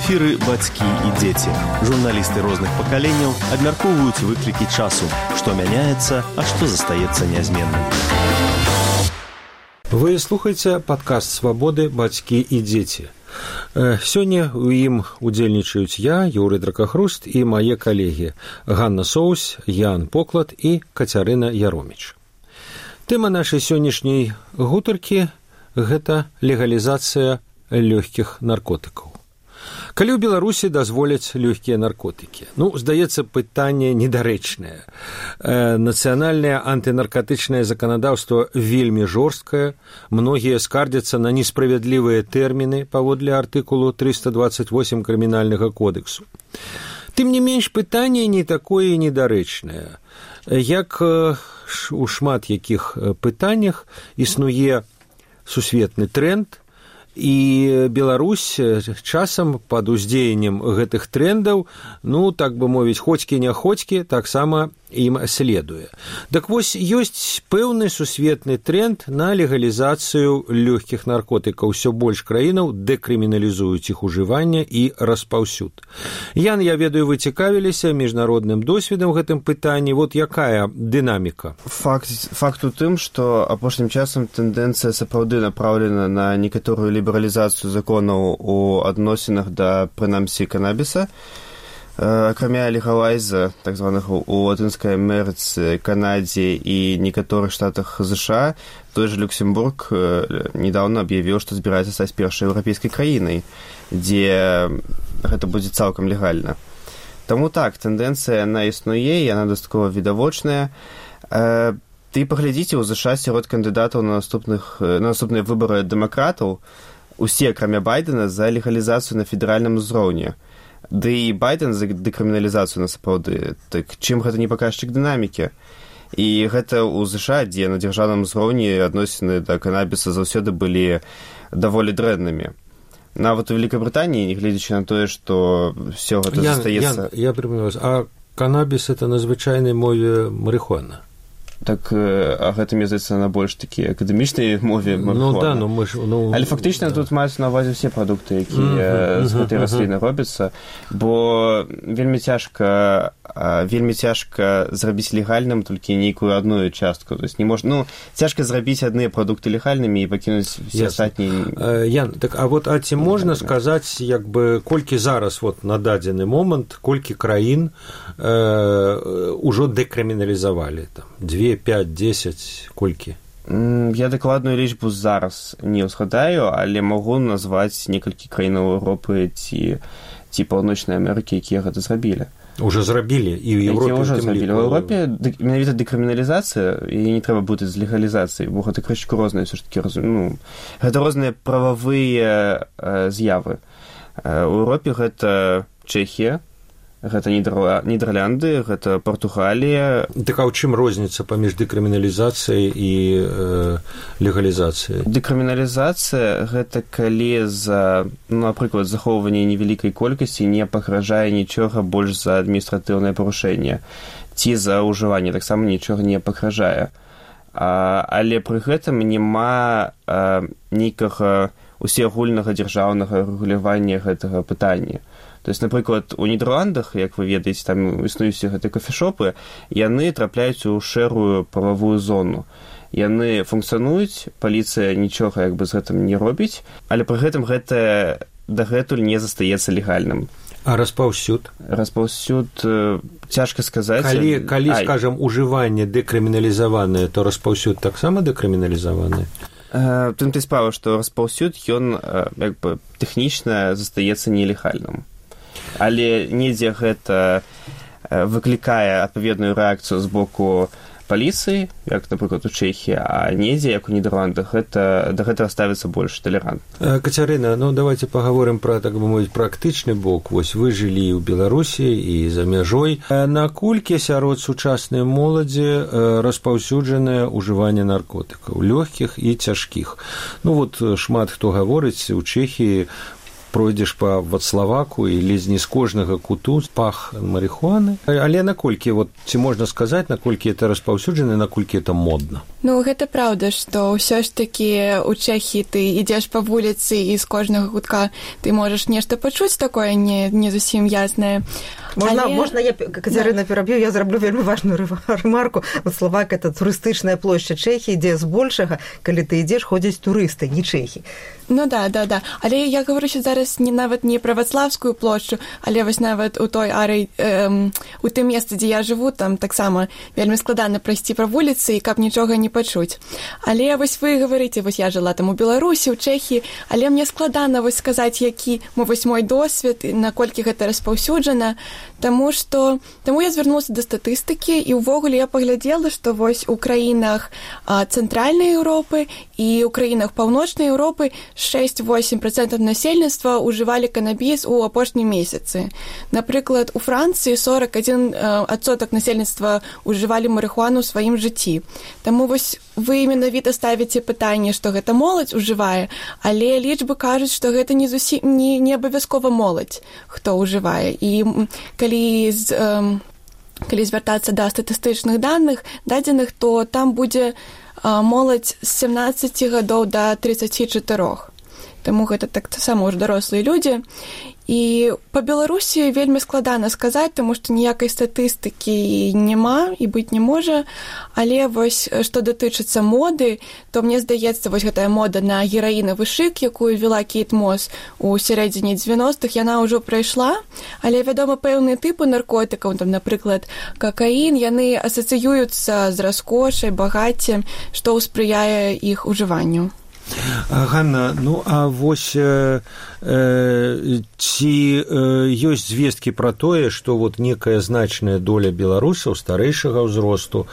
эфіры бацькі і дзеці. Журналісты розных пакаленняў абмяркоўваюць выклікі часу, што мяняецца, а што застаецца нязменным. Вы слухаеце падкаст «Свабоды. Бацькі і дзеці». Сёння ў ім удзельнічаюць я, Юрый Дракахруст, і мае калегі Ганна Соус, Ян Поклад і Кацярына Яроміч. Тэма нашай сённяшняй гутаркі – гэта легалізацыя лёгкіх наркотыкаў. Калі ў Беларусі дазволяць лёгкія наркотыкі? Здаецца, пытанне недарэчнае. Нацыянальнае антынаркатычнае заканадаўства вельмі жорсткае, многія скардзяцца на несправядлівыя тэрміны паводле артыкулу 328 крымінальнага кодексу. Тым не менш, пытанне не такое недарэчнае. Як у шмат якіх пытаннях існуе сусветны тренд, і Беларусь часам пад уздзеяннем гэтых трендаў, так бы мовіць, хоцькі-няхоцькі, таксама ім следуе. Так вось, ёсць пэўны сусветны тренд на легалізацыю лёгкіх наркотыкаў. Усё больш краінаў дэкрыміналізуюць іх ужыванне і распаўсюд. Ян, я ведаю, вы цікавіліся міжнародным досведам гэтым пытанні. Вот якая дынаміка? Факт у тым, што апошнім часам тэндэнцыя сапраўды направлена на некаторую лібералізацыю законаў у адносінах да, прынамсі, канабіса. Акрамя легалайза, так званых у Латынскай Амерыцы, Канадзе і некаторых штатах ЗША, той же Люксембург недавно аб'явіў, што збіраецца стаць першай еўрапейскай краінай, дзе гэта будзе цалкам легальна. Таму так, тэндэнцыя яна існуе, яна дастаткова відавочная. Ты паглядзіце, у ЗША сярод кандыдатаў на наступныя выбары дэмакратаў усе, акрамя Байдена, за легалізацыю на федэральным узроўні. Ды і Байден за дэкрыміналізацыю насапраўды. Так чым гэта не паказчык дынамікі? І гэта ў ЗША, дзе на дзяржаўным узроўні адносіны да канабіса заўсёды былі даволі дрэннымі. Нават у Великабрытаніі, нягледзячы на тое, што ўсё гэта застаецца... Я прыпомню вас, а канабіс – это на звычайнай мове марыхуана? Так, а гэта, мне здаецца, на больш такі акадэмічнай мове марыхуана. Але фактычна тут маюць на ўвазе ўсе прадукты, якія з гэтай расліны робяцца, бо вельмі цяжка зрабіць легальным толькі нейкую адную частку. То есть не можна, цяжка зрабіць адныя прадукты легальнымі і пакінуць все астатнія. Ян, так, а ці можна сказаць, колькі зараз на дадзены момант, колькі краін ужо дэкрыміналізавалі там? 2, 5, 10, колькі? Я дакладную лічбу зараз не ўзгадаю, але магу назваць некалькі краінаў Еўропы ці Паўночнай Амерыкі, якія гэта зрабілі. Уже зрабілі, і ў Еўропе ўжо зрабілі. У Еўропе менавіта дэкрыміналізацыя, і не трэба бутаць з легалізацыяй, бо гэта крышку розныя, ўсё ж такі, гэта розныя прававыя з'явы. У Еўропе гэта Чэхія, гэта Нідерланды, гэта Партугалія. Так а ў чым розніца паміж дэкрыміналізацыяй і легалізацыяй? Дэкрыміналізацыя – гэта калі за, напрыклад, захоўванне невялікай колькасці не пагражае нічога больш за адміністратыўнае парушэнне. Ці за ўжыванне таксама нічога не пагражае. Але пры гэтым няма нейкага усеагульнага дзяржаўнага рэгулявання гэтага пытання. То есть, напрыклад, у Нідерландах, як вы ведаеце, там існуюць гэтыя кофешопы, яны трапляюць у шэрую прававую зону. Яны функцыянуюць, паліцыя нічога з гэтым не робіць, але пры гэтым гэта дагэтуль не застаецца легальным. А распаўсюд? Распаўсюд цяжка сказаць. Калі, скажам, ужыванне дэкрыміналізаванае, то распаўсюд таксама дэкрыміналізаванае? Тым ты справа, што распаўсюд, ён тэхнічна застаецца нелегальным. Але недзе гэта выклікае адпаведную рэакцыю з боку паліцыі, як, напрыклад, у Чэхіі, а недзе, як у Нідерландах, да гэтага ставіцца больш талерантна. Кацярына, давайте пагаворым пра, так бы мовіць, практычны бок. Вось вы жылі ў Беларусі і за мяжой. Наколькі сярод сучаснай моладзі распаўсюджанае ўжыванне наркотыкаў, лёгкіх і цяжкіх? Шмат хто гаворыць, у Чэхіі пройдзеш па Вацлаваку і ледзь не з кожнага куту пах марихуаны. Але наколькі, вот, ці можна сказаць, наколькі это распаўсюджана, наколькі это модна? Ну, гэта праўда, што ўсё ж такі ў Чэхіі ты ідзеш па вуліцы і з кожнага кутка ты можаш нешта пачуць такое не зусім яснае. Можна я, Кацярына, пераб'ю, я зраблю вельмі важную ремарку. Вацлавак – это турыстычная плошча Чэхіі, дзе збольшага, калі ты ідзеш, ходзяць турысты, не чэхі. Ну да. Але я говорю зараз нават не пра Вацлавскую плошчу, але вось нават у той у тым месцы, дзе я жыву, там таксама вельмі складана прайсці па вуліцы, і каб нічога не пачуць. Але вось вы гаварыце, вось я жыла там у Беларусі, у Чэхіі, але мне складана вось сказаць, які вось мой досвед, наколькі гэта распаўсюджана, Таму я звярнулася да статыстыкі, і ўвогуле я паглядзела, што вось у краінах цэнтральнай Еўропы і ў краінах паўночнай Еўропы 6-8% насельніцтва ўжывалі канабіс у апошнім месяцы. Напрыклад, у Францыі 41% насельніцтва ўжывалі марыхуану ў сваім жыцці. Таму вось вы менавіта ставіце пытанне, што гэта моладзь ужывае, але лічбы кажуць, што гэта не абавязкова моладзь, хто ўжывае. І калі звяртацца да статыстычных дадзеных, то там будзе моладзь з 17 гадоў да 34. Таму гэта таксама ўжо дарослыя людзі. І па Беларусі вельмі складана сказаць, таму што ніякай статыстыкі няма і быць не можа. Але вось што датычыцца моды, то мне здаецца, вось гэтая мода на гераінавы шык, якую вела Кейт Мос у сярэдзіне 90-х, яна ўжо прайшла. Але, вядома, пэўныя тыпы наркотыкаў, там, напрыклад, какаін, яны асацыююцца з раскошай, багаццем, што спрыяе іх ужыванню. Ганна, ну а вось ці ёсць звесткі пра тое, што вот некая значная доля беларусаў старэйшага ўзросту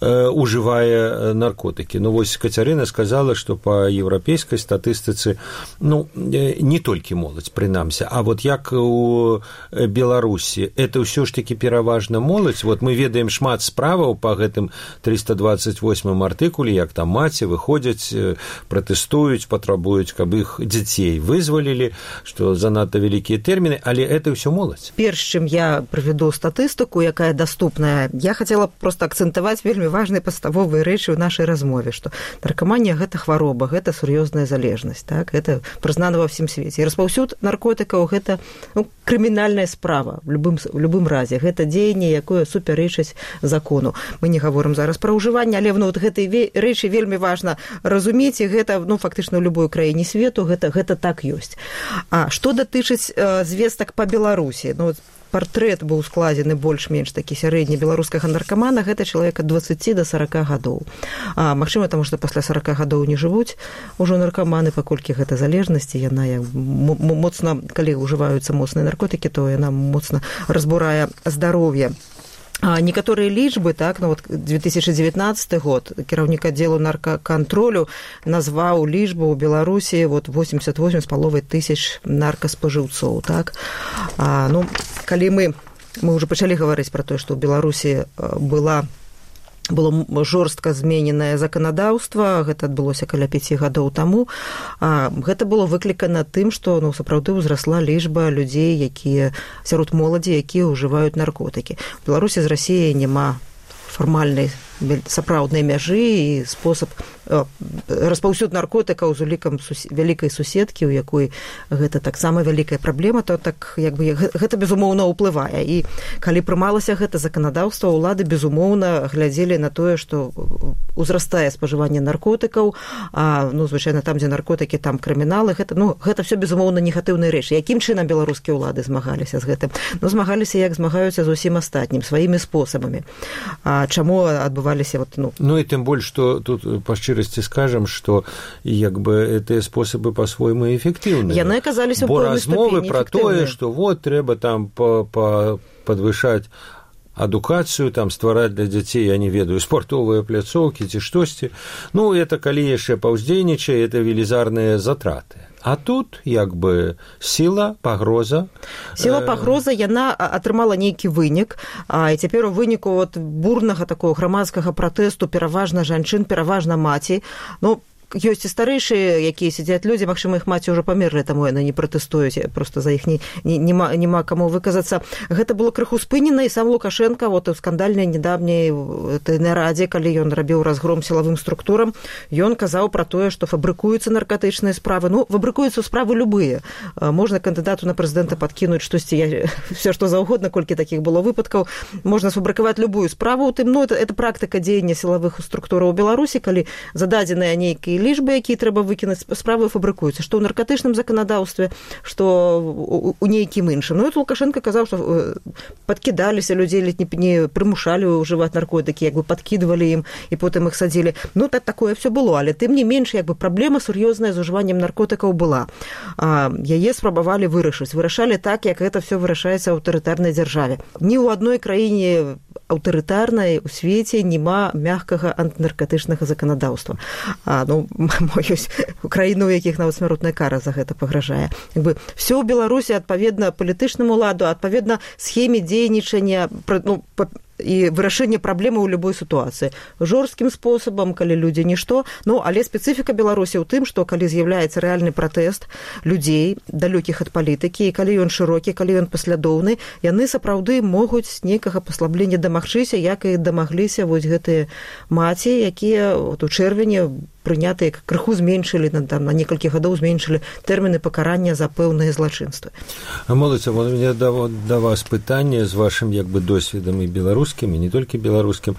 ужывае наркотыкі. Ну вось Кацярына сказала, што па еўрапейскай статыстыцы, ну не толькі моладзь, прынамсі, а вот як у Беларусі, это ўсё ж такі пераважна моладзь. Вот мы ведаем шмат справаў па гэтым 328 артыкуле, як там маці выходзяць, пратэстуюць, патрабуюць, каб іх дзяцей вызвалілі, што занадта вялікія тэрміны, але это ўсё моладзь. Перш чым я правяду статыстыку, якая даступная, я хацела проста акцэнтаваць вельмі важныя падставовыя рэчы ў нашай размове, што наркаманія – гэта хвароба, гэта сур'ёзная залежнасць, так? Гэта прызнана ва ўсім свеце. І распаўсюд наркотыкаў – гэта крымінальная справа в любым разе. Гэта дзеянне, якое супярэчыць закону. Мы не гаворым зараз пра ўжыванне, але вот гэтай рэчы вельмі важна разумець, і гэта фактычна ў любой краіне свету гэта так ёсць. А што датычыць звестак па Беларусі? Ну, партрэт быў складзены больш-менш такі сярэдні беларускага наркамана, гэта чалавек ад 20 до 40 гадоў. Магчыма, таму што пасля 40 гадоў не жывуць ужо наркаманы, паколькі гэта залежнасць, яна моцна, калі ўжываюцца моцныя наркотыкі, то яна моцна разбурае здароўе. Некаторыя лічбы, так, ну вот 2019 год кіраўнік аддзелу наркакантролю назваў лічбу ў Беларусі вот 88,5 тысяч наркаспажыўцоў, так. Ну, калі мы ўжо пачалі гаварыць пра тое, што ў Беларусі было жорстка змененае заканадаўства, гэта адбылося каля 5 гадоў таму. Гэта было выклікана тым, што сапраўды ўзрасла лічба людзей, якія сярод моладзі, якія ўжываюць наркотыкі. У Беларусі з Расіяй няма фармальнай сапраўднай мяжы і спосаб распаўсюд наркотыкаў з улікам вялікай суседкі, у якой гэта таксама вялікая праблема, то так як бы гэта безумоўна ўплывае. І калі прымалася гэта заканадаўства, ўлады безумоўна глядзелі на тое, што узрастае спажыванне наркотыкаў, звычайна там, дзе наркотыкі, там крыміналы, гэта все безумоўна негатыўныя рэчы. Якім чынам беларускія ўлады змагаліся з гэтым? Змагаліся, як змагаюцца з усім астатнім, сваімі спосабамі. Чаму адбываліся Ну и тем больше, что тут по шчырасці скажем, что як бы эти способы по-свойму эффективны. Яны аказаліся ў пэўнай Бо ступені размовы про тое, что вот трэба там подвышаць адукацыю, там ствараць для дзяцей, я не ведаю, спартовыя пляцоўкі ці штосьці. Ну, это калі яшчэ паўздзейнічае, это велізарныя затраты. А тут як бы сіла, пагроза. Сіла, пагроза, яна атрымала нейкі вынік, і цяпер у выніку бурнага такого грамадскага пратэсту пераважна жанчын, пераважна маці. Ну, ёсць і старэйшыя, якія сядзяць людзі, магчыма, іх маці ўжо памерлі, таму яны не пратэстуюць, просто за іх няма каму выказацца. Гэта было крыху спынена, і сам Лукашенко вот у скандальнай недавняй нарадзе, калі ён рабіў разгром сілавым структурам, ён казаў пра тое, што фабрыкуюцца наркатычныя справы. Ну, фабрыкуюцца справы любыя. Можна кандыдату на прэзідэнта падкінуць штосьці, все што заўгодна, колькі такіх было выпадкаў. Можна сфабрыкаваць любую справу, у тым, ну, это практыка дзеяння сілавых структураў у Беларусі, калі зададзеныя нейкія лічбы, якія трэба выкінуць, справы фабрыкуюцца, што ў наркатычным заканадаўстве, што у нейкім іншым. Ну, это Лукашенко казаў, што падкідаліся людзей, не прымушалі ўжываць наркотыкі, як бы падкідвалі ім, і потым іх садзілі. Ну, такое все было, але тым не менш, як бы праблема сур'ёзная з ужываннем наркотыкаў была. Яе спрабавалі вырашалі так, як гэта все вырашаецца ў аўтарытарнай дзяржаве. Ні ў адной краіне аўтарытарнай у свеце няма мяккага антынаркатычнага заканадаўства. Ну, ёсць краіны, у якіх нават смяротная кара за гэта пагражае. Як бы все ў Беларусі адпаведна палітычнаму ладу, адпаведна схеме дзейнічання, ну, і вырашэнне праблемы ў любой сітуацыі. Жорсткім спосабам, калі людзі нішто, ну, але спецыфіка Беларусі ў тым, што калі з'яўляецца рэальны пратэст людзей, далёкіх ад палітыкі, і калі ён шырокі, калі ён паслядоўны, яны сапраўды могуць нейкага паслаблення дамагчыся, як і дамагліся вось гэтыя маці, якія у чэрвені прынятыя, крыху зменшылі, на некалькі гадоў зменшылі тэрміны пакарання за пэўныя злачынствы. Моладзь, у меня да вас пытанне з вашым як бы досведам і беларускім, і не толькі беларускім.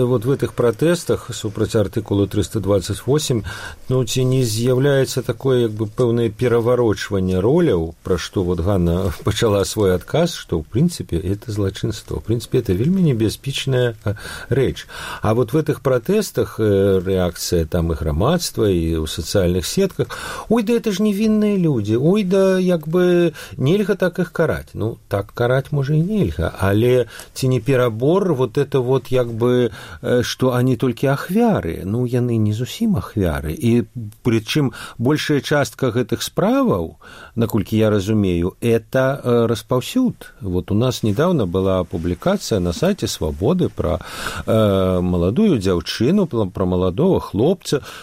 Вот в этих пратэстах супраць артыкулу 328, ну, ці не з'яўляецца такое як бы пэўнае пераварочванне роляў, пра што вот Ганна пачала свой адказ, што ў прынцыпе это злачынство. В прынцыпе, это вельмі небяспечная рэч. А вот в этих пратэстах рэакцыя там і грамадства, і ў сацыяльных сетках, ой, да это ж невінныя людзі, ой, да як бы нельга так іх караць. Ну, так караць можа і нельга, але ці не перабор вот это вот як бы, што они толькі ахвяры, ну, яны не зусім ахвяры, і прычым большая частка гэтых справаў, наколькі я разумею, это распаўсюд. Вот у нас недавно была публікацыя на сайце Свабоды пра маладую дзяўчыну, пра маладого хлопца.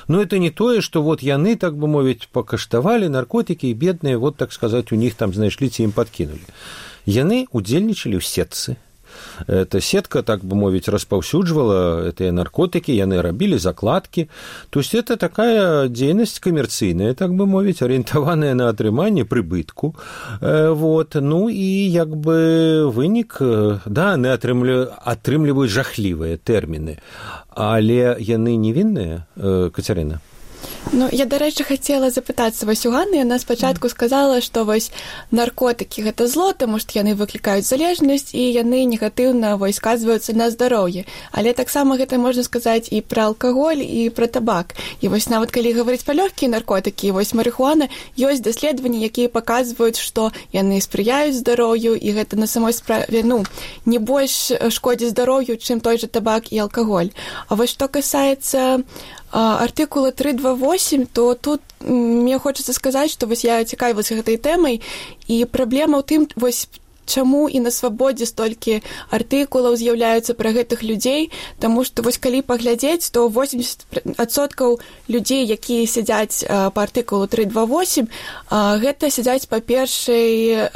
Но это не тое, што вот яны, так бы мовіць, пакаштавалі наркотыкі, і бедныя, вот так сказаць, у них там знайшлі, ці ім падкінулі. Яны удзельнічалі ў сетцы. Эта сетка, так бы мовіць, распаўсюджвала гэтыя наркотыкі, яны рабілі закладкі. То есть это такая дзейнасць камерцыйная, так бы мовіць, арыентаваная на атрыманне прыбытку. Вот. Ну і як бы вынік, да, яны атрымліваюць жахлівыя тэрміны, але яны невінныя, Кацярына? Ну, я, дарэчы, хацела запытацца вось у Ганны. Яна спачатку сказала, што вось наркотыкі гэта зло, таму што яны выклікаюць залежнасць і яны негатыўна вось сказваюцца на здароўе. Але таксама гэта можна сказаць і пра алкаголь, і пра табак. І вось нават калі гаварыць пра лёгкія наркотыкі, вось марыхуана, ёсць даследаванні, якія паказваюць, што яны спрыяюць здароўю, і гэта на самой справе, ну, не больш шкодзіць здароўю, чым той жа табак і алкаголь. А вось што касаецца артыкула 328, то тут мне хочацца сказаць, што вось я цікавілася гэтай тэмай, і праблема ў тым, вось чаму і на Свабодзе столькі артыкулаў з'яўляюцца пра гэтых людзей, таму што вось калі паглядзець, то 80% людзей, якія сядзяць па артыкулу 328, гэта сядзяць па першай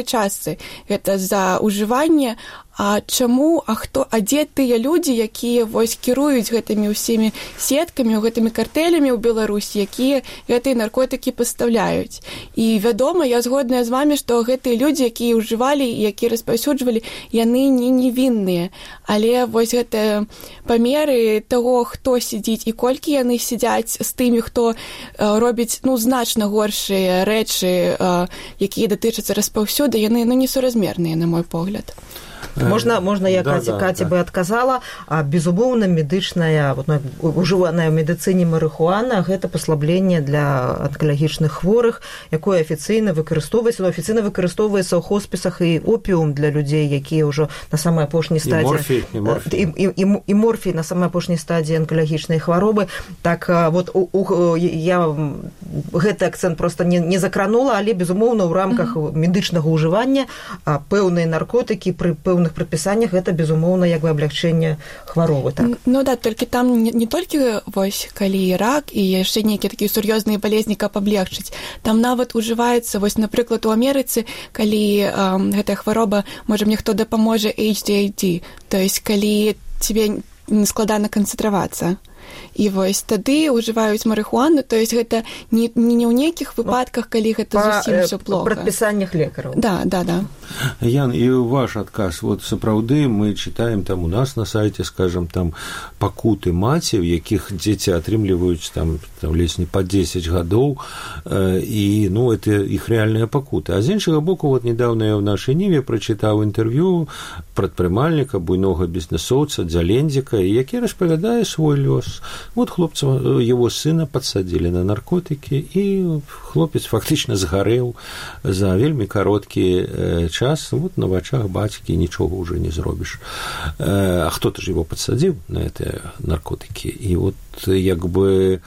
частцы. Гэта за ўжыванне. А чаму, дзе тыя людзі, якія вось кіруюць гэтымі ўсімі сеткамі, гэтымі картэлямі ў Беларусі, якія гэтыя наркотыкі пастаўляюць? І вядома, я згодная з вамі, што гэтыя людзі, якія ўжывалі і якія распаўсюджвалі, яны не невінныя. Але вось гэтыя памеры таго, хто сядзіць і колькі яны сядзяць з тымі, хто робіць, ну, значна горшыя рэчы, якія датычацца распаўсюду, яны, ну, несуразмерныя, на мой погляд. Можна я Каці бы адказала, безумоўна, медычная, ужываная ў медыцыне марыхуана, гэта паслабленне для анкалагічных хворых, якое афіцыйна выкарыстоўваецца, афіцыйна выкарыстоўваецца ў хоспісах і опіум для людзей, якія ўжо на самай апошняй стадыі і морфій на самай апошняй стадыі анкалагічнай хваробы. Так вот я гэты акцэнт проста не закранула, але безумоўна ў рамках медычнага ўжывання пэўныя наркотыкі пры пэўных пэўных прадпісаннях гэта безумоўна як бы аблягчэнне хваробы, так? Ну да, толькі там не толькі вось калі рак і яшчэ нейкія такія сур'ёзныя балезні, каб аблегчыць. Там нават ужываецца, вось, напрыклад, у Амерыцы, калі гэтая хвароба, можа, мне хто дапаможа HDAD, то есть калі тебе складана канцэнтравацца. І вось тады ўжываюць марыхуану, то есть гэта не ў нейкіх выпадках, калі гэта зусім ўсё плохо. Па прадпісаннях лекараў. Да. Ян, і ваш адказ, вот сапраўды мы чытаем там у нас на сайце, скажем, там пакуты маці, у якіх дзеці атрымліваюць там ледзь не па 10 гадоў, і, ну, это іх рэальныя пакуты. А з іншага боку, вот недавно я в нашай Ніве прачытаў інтэрв'ю прадпрымальніка, буйнога бізнесоўца Дзялендзіка, які распавядае свой лёс. Вот хлопца, его сына подсадили на наркотики, и хлопец фактично сгорел за вельмі кароткі час. Вот на вачах бацькі нічога уже не зробіш. А кто-то же его подсадил на эти наркотики. И вот як бы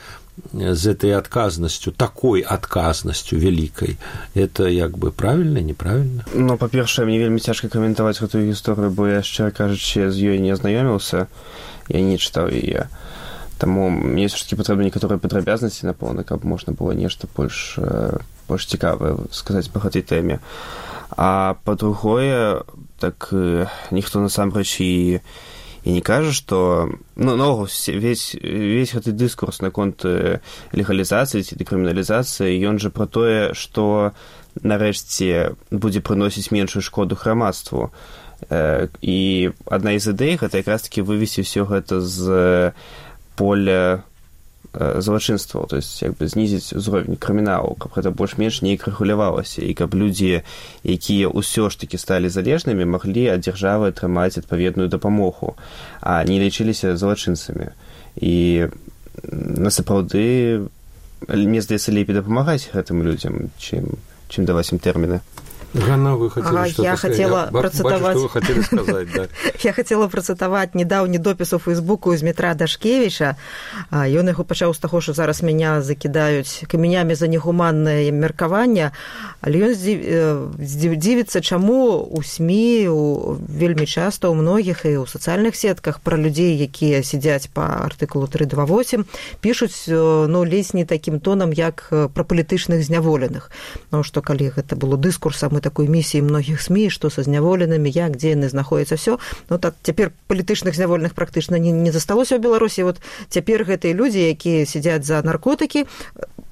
з этой отказностью, такой отказностью великой, это як бы правильно, неправильно? Ну, па-першае, мне вельмі цяжка каментаваць гэтую гісторыю, бо я, шчыра кажучы, з ёй не азнаёміўся, я не чытаў яе. Таму мне ўсё-такі патрэбны некаторыя падрабязнасці, напэўна, каб можна было нешта больш цікавае сказаць па гэтай тэме. А па-другое, так ніхто насамрэч і не кажа, што наогул весь гэты дыскурс наконт легалізацыі ці дэкрыміналізацыі, ён жа пра тое, што нарэшце будзе прыносіць меншую шкоду грамадству. І адна з ідэй гэта якраз-такі вывесці ўсё гэта з поля злачынстваў, то есть як бы знізіць узровень крыміналу, каб гэта больш-менш неяк рэгулявалася, і каб людзі, якія ўсё ж такі сталі залежнымі, маглі ад дзяржавы атрымаць адпаведную дапамогу, а не лічыліся злачынцамі. І насапраўды, мне здаецца, лепей дапамагаць гэтым людзям, чым даваць ім тэрміны. Ганна, вы хотели что-то я хотела процитовать... Бачу, что вы хотели сказать, да. Я хотела процитовать недавні допіс у Фейсбуку з Дмітра Дашкевіча. Ён яго пачаў з таго, што зараз мяне закідаюць камянямі за негуманнае меркаванне, але ён дзівіцца, чаму ў СМІ вельмі часта ў многіх і ў сацыяльных сетках пра людзей, якія сядзяць па артыкулу 328, пішуць, ну, ледзь не такім тонам, як пра палітычных зняволеных. Ну, што калі гэта было дыскурсам такой місіі многіх СМІ, што са зняволенымі, як, дзе яны знаходзяцца, все. Ну, так, цяпер палітычных зняволеных практычна не засталося ў Беларусі. Вот цяпер гэтыя людзі, якія сядзяць за наркотыкі,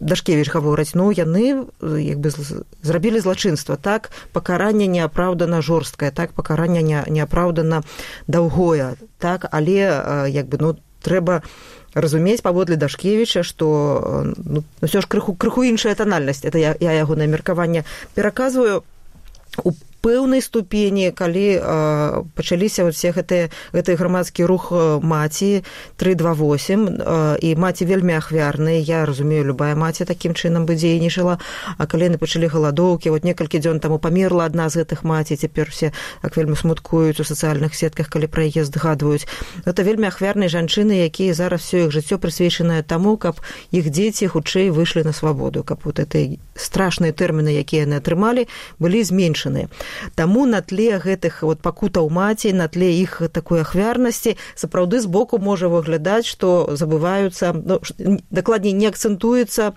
Дашкевіч гаворыць, ну, яны як бы зрабілі злачынства, так, пакаранне неапраўдана жорсткае, так, пакаранне неапраўдана даўгое, так, але як бы, ну, трэба разумець паводле Дашкевіча, што ну, ўсё ж крыху іншая тональнасць. Это я ягонае меркаванне пераказваю у пэўнай ступені, калі пачаліся ўсе гэты грамадскі рух маці 328, і маці вельмі ахвярныя, я разумею, любая маці такім чынам бы дзейнічала, а калі яны пачалі галадоўкі, вот некалькі дзён таму памерла адна з гэтых маці, цяпер усе так вельмі смуткуюць у сацыяльных сетках, калі пра яе згадваюць. Гэта вельмі ахвярныя жанчыны, якія зараз всё іх жыццё прысвечанае таму, каб іх дзеці хутчэй выйшлі на свабоду, каб вот гэтыя страшныя тэрміны, якія яны атрымалі, былі зменшаныя. Таму на тле гэтых вот пакутаў маці, на тле іх такой ахвярнасці, сапраўды збоку можа выглядаць, што забываюцца, ну, дакладней не акцэнтуецца,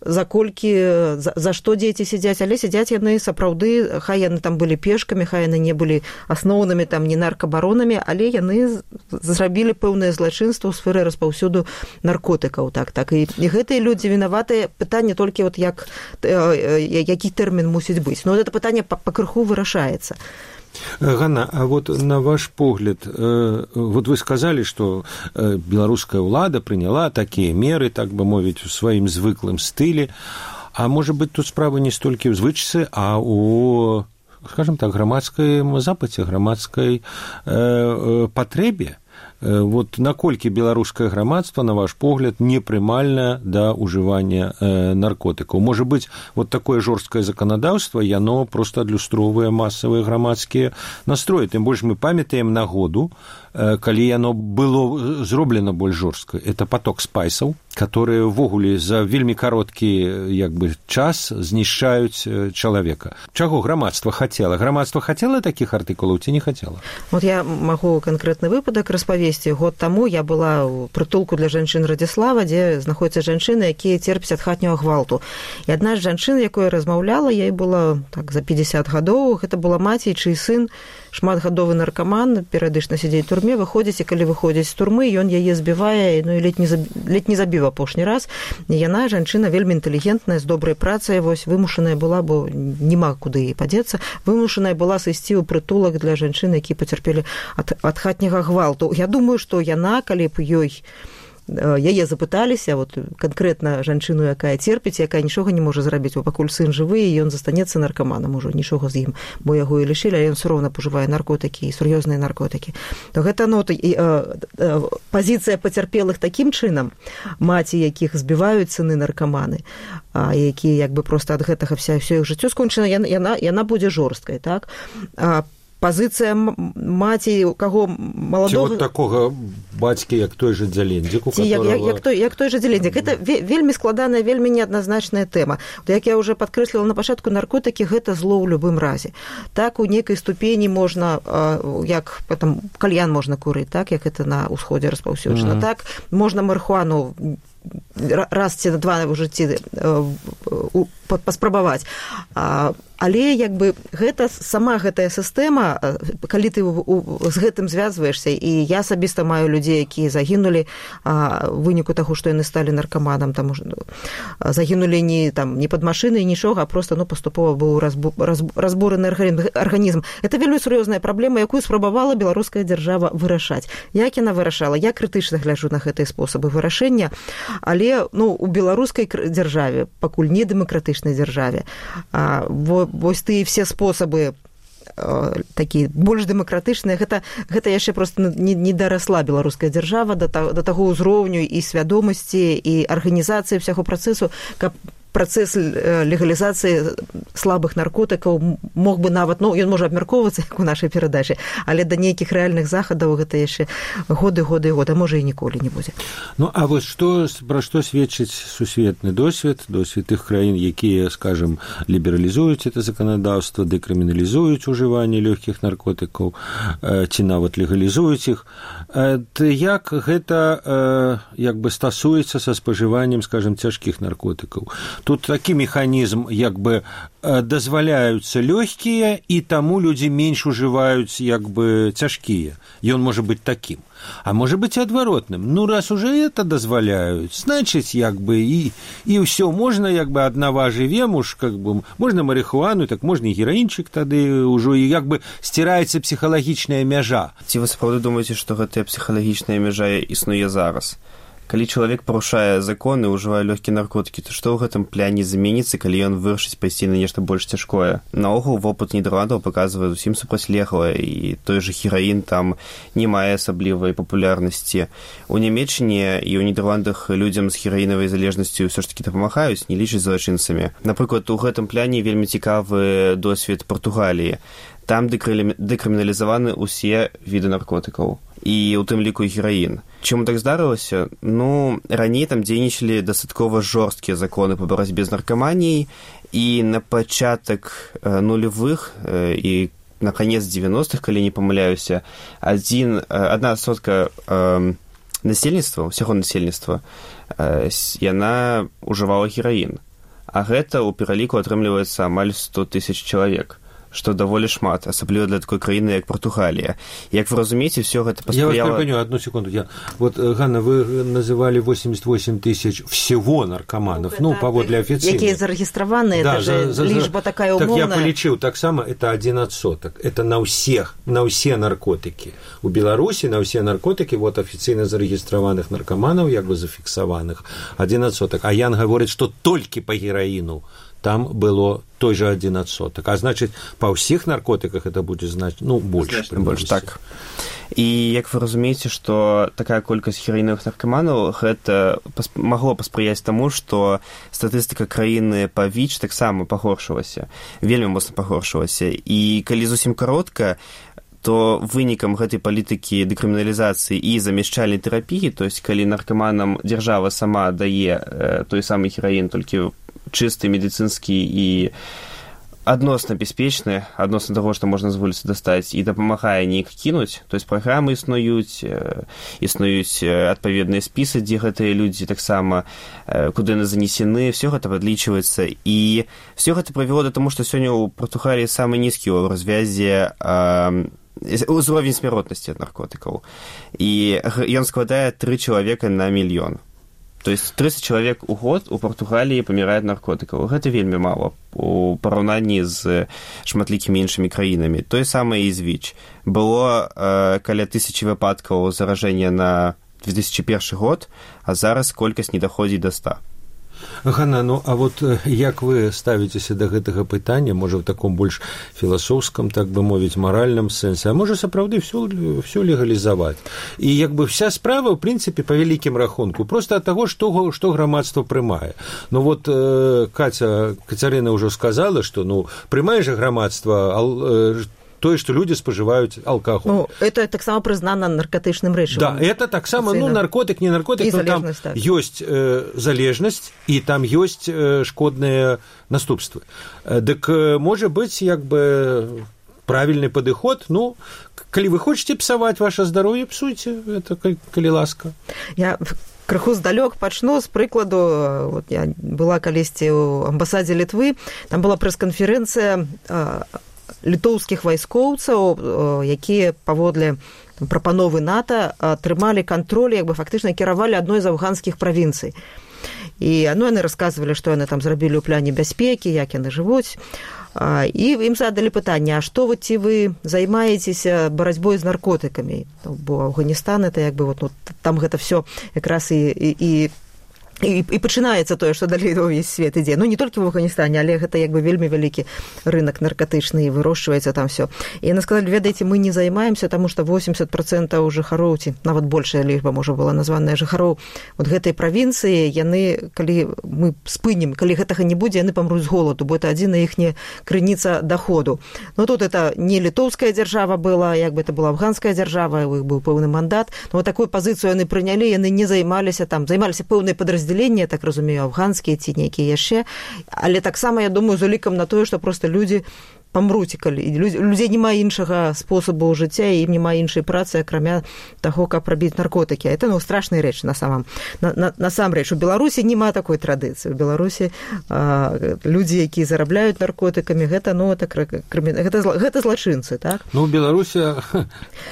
за што дзеці сядзяць, але сядзяць яны сапраўды, хай яны там былі пешкамі, хай яны не былі асноўнымі там не наркабаронамі, але яны зрабілі пэўнае злачынства ў сферы распаўсюду наркотыкаў, так. І гэтыя людзі вінаватыя, пытанне толькі вот які тэрмін мусіць быць. Ну, гэта пытанне пакрыху вырашаецца. Ганна, а вот на ваш погляд, вот вы сказали, что белорусская ўлада приняла такие меры, так бы мовить, в своим звыклым стиле, а может быть тут справа не столькі ў звычцы, а у, скажем так, грамадскай запыце, грамадскай патрэбе. Вот наколькі беларускае грамадства, на ваш погляд, непрымальна да ўжывання наркотыкаў? Можа быць, вот такое жорсткае заканадаўства, яно проста адлюстроўвае масавыя грамадскія настроі. Тым больш мы памятаем нагоду, калі яно было зроблена больш жорстка. Это поток спайсаў, которые ўвогуле за вельмі кароткі час знішчаюць чалавека. Чаго грамадства хацела? Грамадства хацела такіх артыкулаў ці не хацела? Вот я магу канкрэтны выпадак распавесці. Год таму я была ў прытулку для жанчын Радзіслава, дзе знаходзяцца жанчыны, якія церпяць ад хатняга гвалту. І адна з жанчын, якой размаўляла, ёй было так за 50 гадоў, гэта была маці, чый сын шматгадовы наркаман, перыядычна сядзець у турме, выходзіць, і калі выходзіць з турмы, ён яе збівае, ну і ледь не забіў апошні раз. І яна, жанчына, вельмі інтэлігентная, з добрай працай, вось вымушаная была, бо няма куды ей падзецца, вымушаная была сысці ў прытулак для жанчын, які пацярпелі ад хатняга гвалту. Я думаю, што яна, калі б яе запыталіся, вот канкрэтна жанчыну, якая церпіць, якая нічога не можа зрабіць, бо пакуль сын жывы, і ён застанецца наркаманам ужо, нічога з ім, бо яго і лішылі, але ён все роўна пажывае наркотыкі і сур'ёзныя наркотыкі. То гэта пазіцыя пацярпелых такім чынам, маці, якіх збіваюць сыны наркаманы, якія проста ад гэтага ўсё іх жыццё скончана, яна будзе жорсткай, так? Пазіцыя маці, у каго маладога... Ці вот такога бацькі, як той жа Дзялендзік, у которого... Як той жа Дзялендзік. Гэта вельмі складаная, вельмі неадназначная тэма. Як я ўжо падкрэсліла на пачатку, наркотыкі – гэта зло ў любым разе. Так, у некай ступені можна, як кальян можна курыць, так, як гэта на ўсходзе распаўсюджана. Так, можна марыхуану раз ці два ў жыцці паспрабаваць. Але гэта сама гэтая сістэма, калі ты з гэтым звязваешся, і я асабіста маю людзей, якія загінулі ў выніку таго, што яны сталі наркаманам, там загінулі не пад машынай, нічога, а проста паступова быў разбураны арганізм. Это вельмі сур'ёзная праблема, якую спрабавала беларуская дзяржава вырашаць. Як яна вырашала? Я крытычна гляджу на гэтыя спосабы вырашэння, але у беларускай дзяржаве, пакуль не дэмакратычнай дзяржаве, вось тыя все спосабы такія больш дэмакратычныя, гэта яшчэ проста не дарасла беларуская дзяржава да таго ўзроўню і свядомасці і арганізацыі ўсяго працэсу, каб працэс легалізацыі слабых наркотыкаў мог бы нават, ён можа абмяркоўвацца, як у нашай перадачы, але да нейкіх рэальных захадаў гэта яшчэ годы, а можа і ніколі не будзе. А вось пра што сведчыць сусветны досвед тых краін, якія, скажем, лібералізуюць это заканадаўства, дэкрыміналізуюць ужыванне лёгкіх наркотыкаў, ці нават легалізуюць іх, як гэта стасуецца са спажываннем, скажем, цяжкіх наркотыкаў? Тут такі механізм, дазваляюцца лёгкія, і таму людзі менш ужываюць цяжкія. Ён можа быць такім. А можа быць адваротным. Раз уже это дазваляюць, значыць, і ўсё, можна, аднава жывем, можна марыхуану, так можна і гераінчык тады ўжо, і сціраецца псіхалагічная мяжа. Ці вы сапраўды думаеце, што гэтая псіхалагічная мяжа існуе зараз? Калі чалавек парушае законы, ўжывае лёгкія наркотыкі, то што ў гэтым пляне зменіцца, калі ён вырашыць пайсці на нешта больш цяжкое? Наогул, вопыт Нідерландаў паказвае зусім супрацьлеглае, і той жа гераін там не мае асаблівай папулярнасці. У Нямецчыне і ў Нідерландах людзям з гераінавай залежнасцю ўсё ж такі дапамагаюць, не лічаць злачынцамі. Напрыклад, у гэтым пляне вельмі цікавы досвед Партугаліі. Там дэкрыміналізаваны ўсе віды наркотыкаў, і ў тым ліку гераін. Чаму так здарылася? Раней там дзейнічалі дастаткова жорсткія законы па барацьбе з наркаманіяй, і на пачатак нулевых і на канец 90-х, калі не памыляюся, 1% насельніцтва, усяго насельніцтва, яна ўжывала гераін. А гэта ў пераліку атрымліваецца амаль 100 000 чалавек, што даволі шмат, асабліва для такой краіны, як Партугалія. Як вы разумееце, все гэта паспрыяла... Я вас перепоню, одну секунду. Ганна, вы называли 88 000 всего наркоманов, паводле офіцыйных. Якія зарэгістраваны, это же лічба такая умоўная. Так я полічыў, таксама это 1%. Это на ўсе наркотыкі. У Беларусі на ўсе наркотыкі, афіцыйна зарэгістраваных наркоманаў, зафіксаваных, 1%. А Ян гаворыць, што толькі па гераіну там было той же 1%. А значит, па ўсіх наркотыках это будзе больш. Так. І як вы разумееце, што такая колькасць гераінавых наркаманаў гэта магло паспрыяць таму, што статыстыка краіны па ВІЧ таксама пагоршылася, вельмі моцна пагоршылася. І калі зусім каротка, то вынікам гэтай палітыкі дэкрыміналізацыі і замяшчальнай тэрапіі, то есть калі наркаманам дзяржава сама дае той самы гераін, толькі чысты, медыцынскі і адносна бяспечны, адносна таго, што можна з вуліцы дастаць, і дапамагае неяк кінуць, то есть праграмы існуюць адпаведныя спісы, дзе гэтыя людзі таксама, куды яны занесены, все гэта падлічваецца, і все гэта прывяло да таму, што сёння ў Партугаліі самы нізкі ў развязе узровень смяротнасці ад наркотыкаў. І ён складае 3 чалавека на мільён. То есть 30 чалавек у год у Партугаліі памірае ад наркотыкаў. Гэта вельмі мала у параўнанні з шматлікімі іншымі краінамі. Тое самае і з ВІЧ. Было каля 1000 выпадкаў заражэння на 2001 год, а зараз колькасць не даходзіць до 100. Ганна, а вот як вы ставіцеся да гэтага пытання, можа, ў таком больш філасофскам, так бы мовіць, маральным сэнсе, а можа, сапраўды всё легалізаваць? І як бы вся справа, ў прынцыпе, па вялікім рахунку, проста ад таго, што грамадства прымае. Вот Кацярына ўжо сказала, што, прымае жа грамадства тое, што людзі спажываюць алкаголь. Это таксама прызнана наркотычным рэчывам. Да, это таксама, наркотык, не наркотык, но там ёсць залежнасць, і там ёсць шкодныя наступствы. Дык, можа быць, як бы правільны падыход, калі вы хочаце псаваць ваше здароўе, псуйце, это калі ласка. Я крыху здалёк пачну з прыкладу. Я была калісьці ў амбасадзе Літвы, там была прэс-канферэнцыя літоўскіх вайскоўцаў, якія паводле прапановы НАТО атрымалі кантроль, як бы фактычна кіравалі адной з афганскіх правінцый. І яны расказвалі, што яны там зрабілі ў пляне бяспекі, як яны жывуць. І ім задалі пытанне, а што ці вы займаецеся барацьбой з наркотыкамі? Бо Афганістан, это як бы там гэта всё якраз і пачынаецца тое, што далей увесь свет ідзе. Не толькі в Афганістане, але гэта як бы вельмі вялікі рынок наркотычны, і вырошчваецца там всё. І яны сказалі, ведаеце, мы не займаемся, таму што 80% жыхароў, ці нават большая лічба можа была названая жыхароў гэтай правінцыі, яны, калі мы спынім, калі гэтага не будзе, яны памруць з голаду, бо это адзіная іхняя крыніца доходу. Тут это не літоўская дзяржава была, як бы это была афганская дзяржава, у іх быў пэўны мандат. Такую пазіцыю яны прынялі, яны не займаліся пэўнай падраздзяленні, я так разумею, афганскія ці нейкія яшчэ, але таксама, я думаю, з улікам на тое, што проста людзі памруць, калі людзей няма іншага спосабу жыцця, і ім няма іншай працы, акрамя таго, каб рабіць наркотыкі. Это страшная рэч насамрэч. У Беларусі няма такой традыцыі. У Беларусі людзі, якія зарабляюць наркотыкамі, гэта злачынцы, так? У Беларусі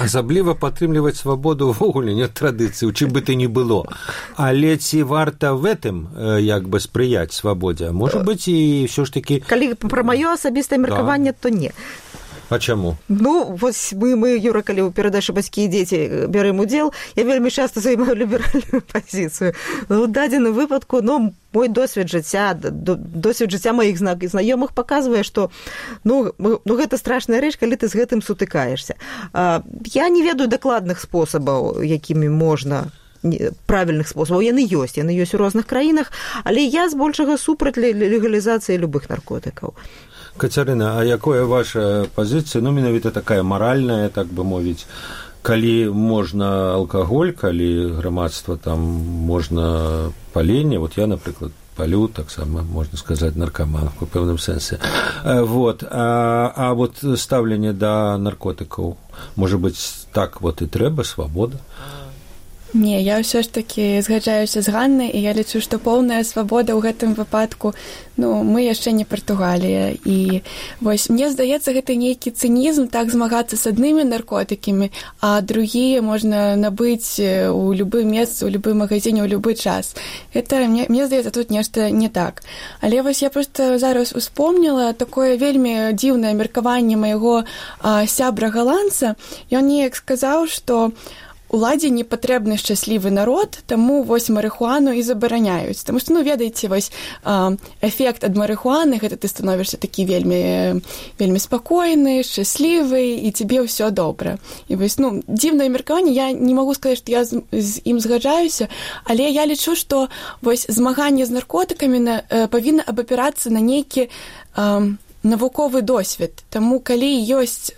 асабліва падтрымліваць свабоду ўвогуле не традыцыі, у чым бы ты ні было. Але ці варта в этом як бы спрыяць свабодзе? Можа быць, і ўсё ж такі... Калі пра маё асабістае меркаванне, то не. А чаму? Мы, Юра, калі ў перадачы «Бацькі і дзеці» бярэм удзел, я вельмі часта займаю ліберальную пазіцыю. У дадзеным выпадку, мой досвед жыцця маіх знаёмых паказвае, што гэта страшная рэч, калі ты з гэтым сутыкаешся. Я не ведаю дакладных спосабаў, якімі можна, правільных спосабаў. Яны ёсць у розных краінах, але я збольшага супраць легалізацыі любых наркотыкаў. Кацярына, а якая ваша пазіцыя, менавіта такая маральная, так бы мовіць, калі можна алкаголь, калі грамадства там можна паленне, я, напрыклад, палю, таксама, можна сказаць, наркаман у пэўным сэнсе. А стаўленне да наркотыкаў, можа быць, так і трэба, свабода? Не, я ўсё ж такі згаджаюся з Ганнай, і я лічу, што поўная свабода ў гэтым выпадку, мы яшчэ не Партугалія. І мне здаецца, гэта нейкі цынізм, так змагацца з аднымі наркотыкамі, а другія можна набыць у любым месцы, у любым магазине, ў любы час. Мне здаецца, тут нешта не так. Але я проста зараз успомніла такое вельмі дзіўнае меркаванне майго сябра-галандца. Ён неяк сказаў, што уладзе не патрэбны шчаслівы народ, таму вось марыхуану і забараняюць. Таму што, ведаеце, вось эфект ад марыхуаны, гэта ты становішся такі вельмі, вельмі спакойны, шчаслівы, і цябе ўсё добра. І вось, дзіўнае меркаванне, я не магу сказаць, што я з ім згаджаюся, але я лічу, што вось змаганне з наркотыкамі павінна абапірацца на нейкі навуковы досвед. Таму калі ёсць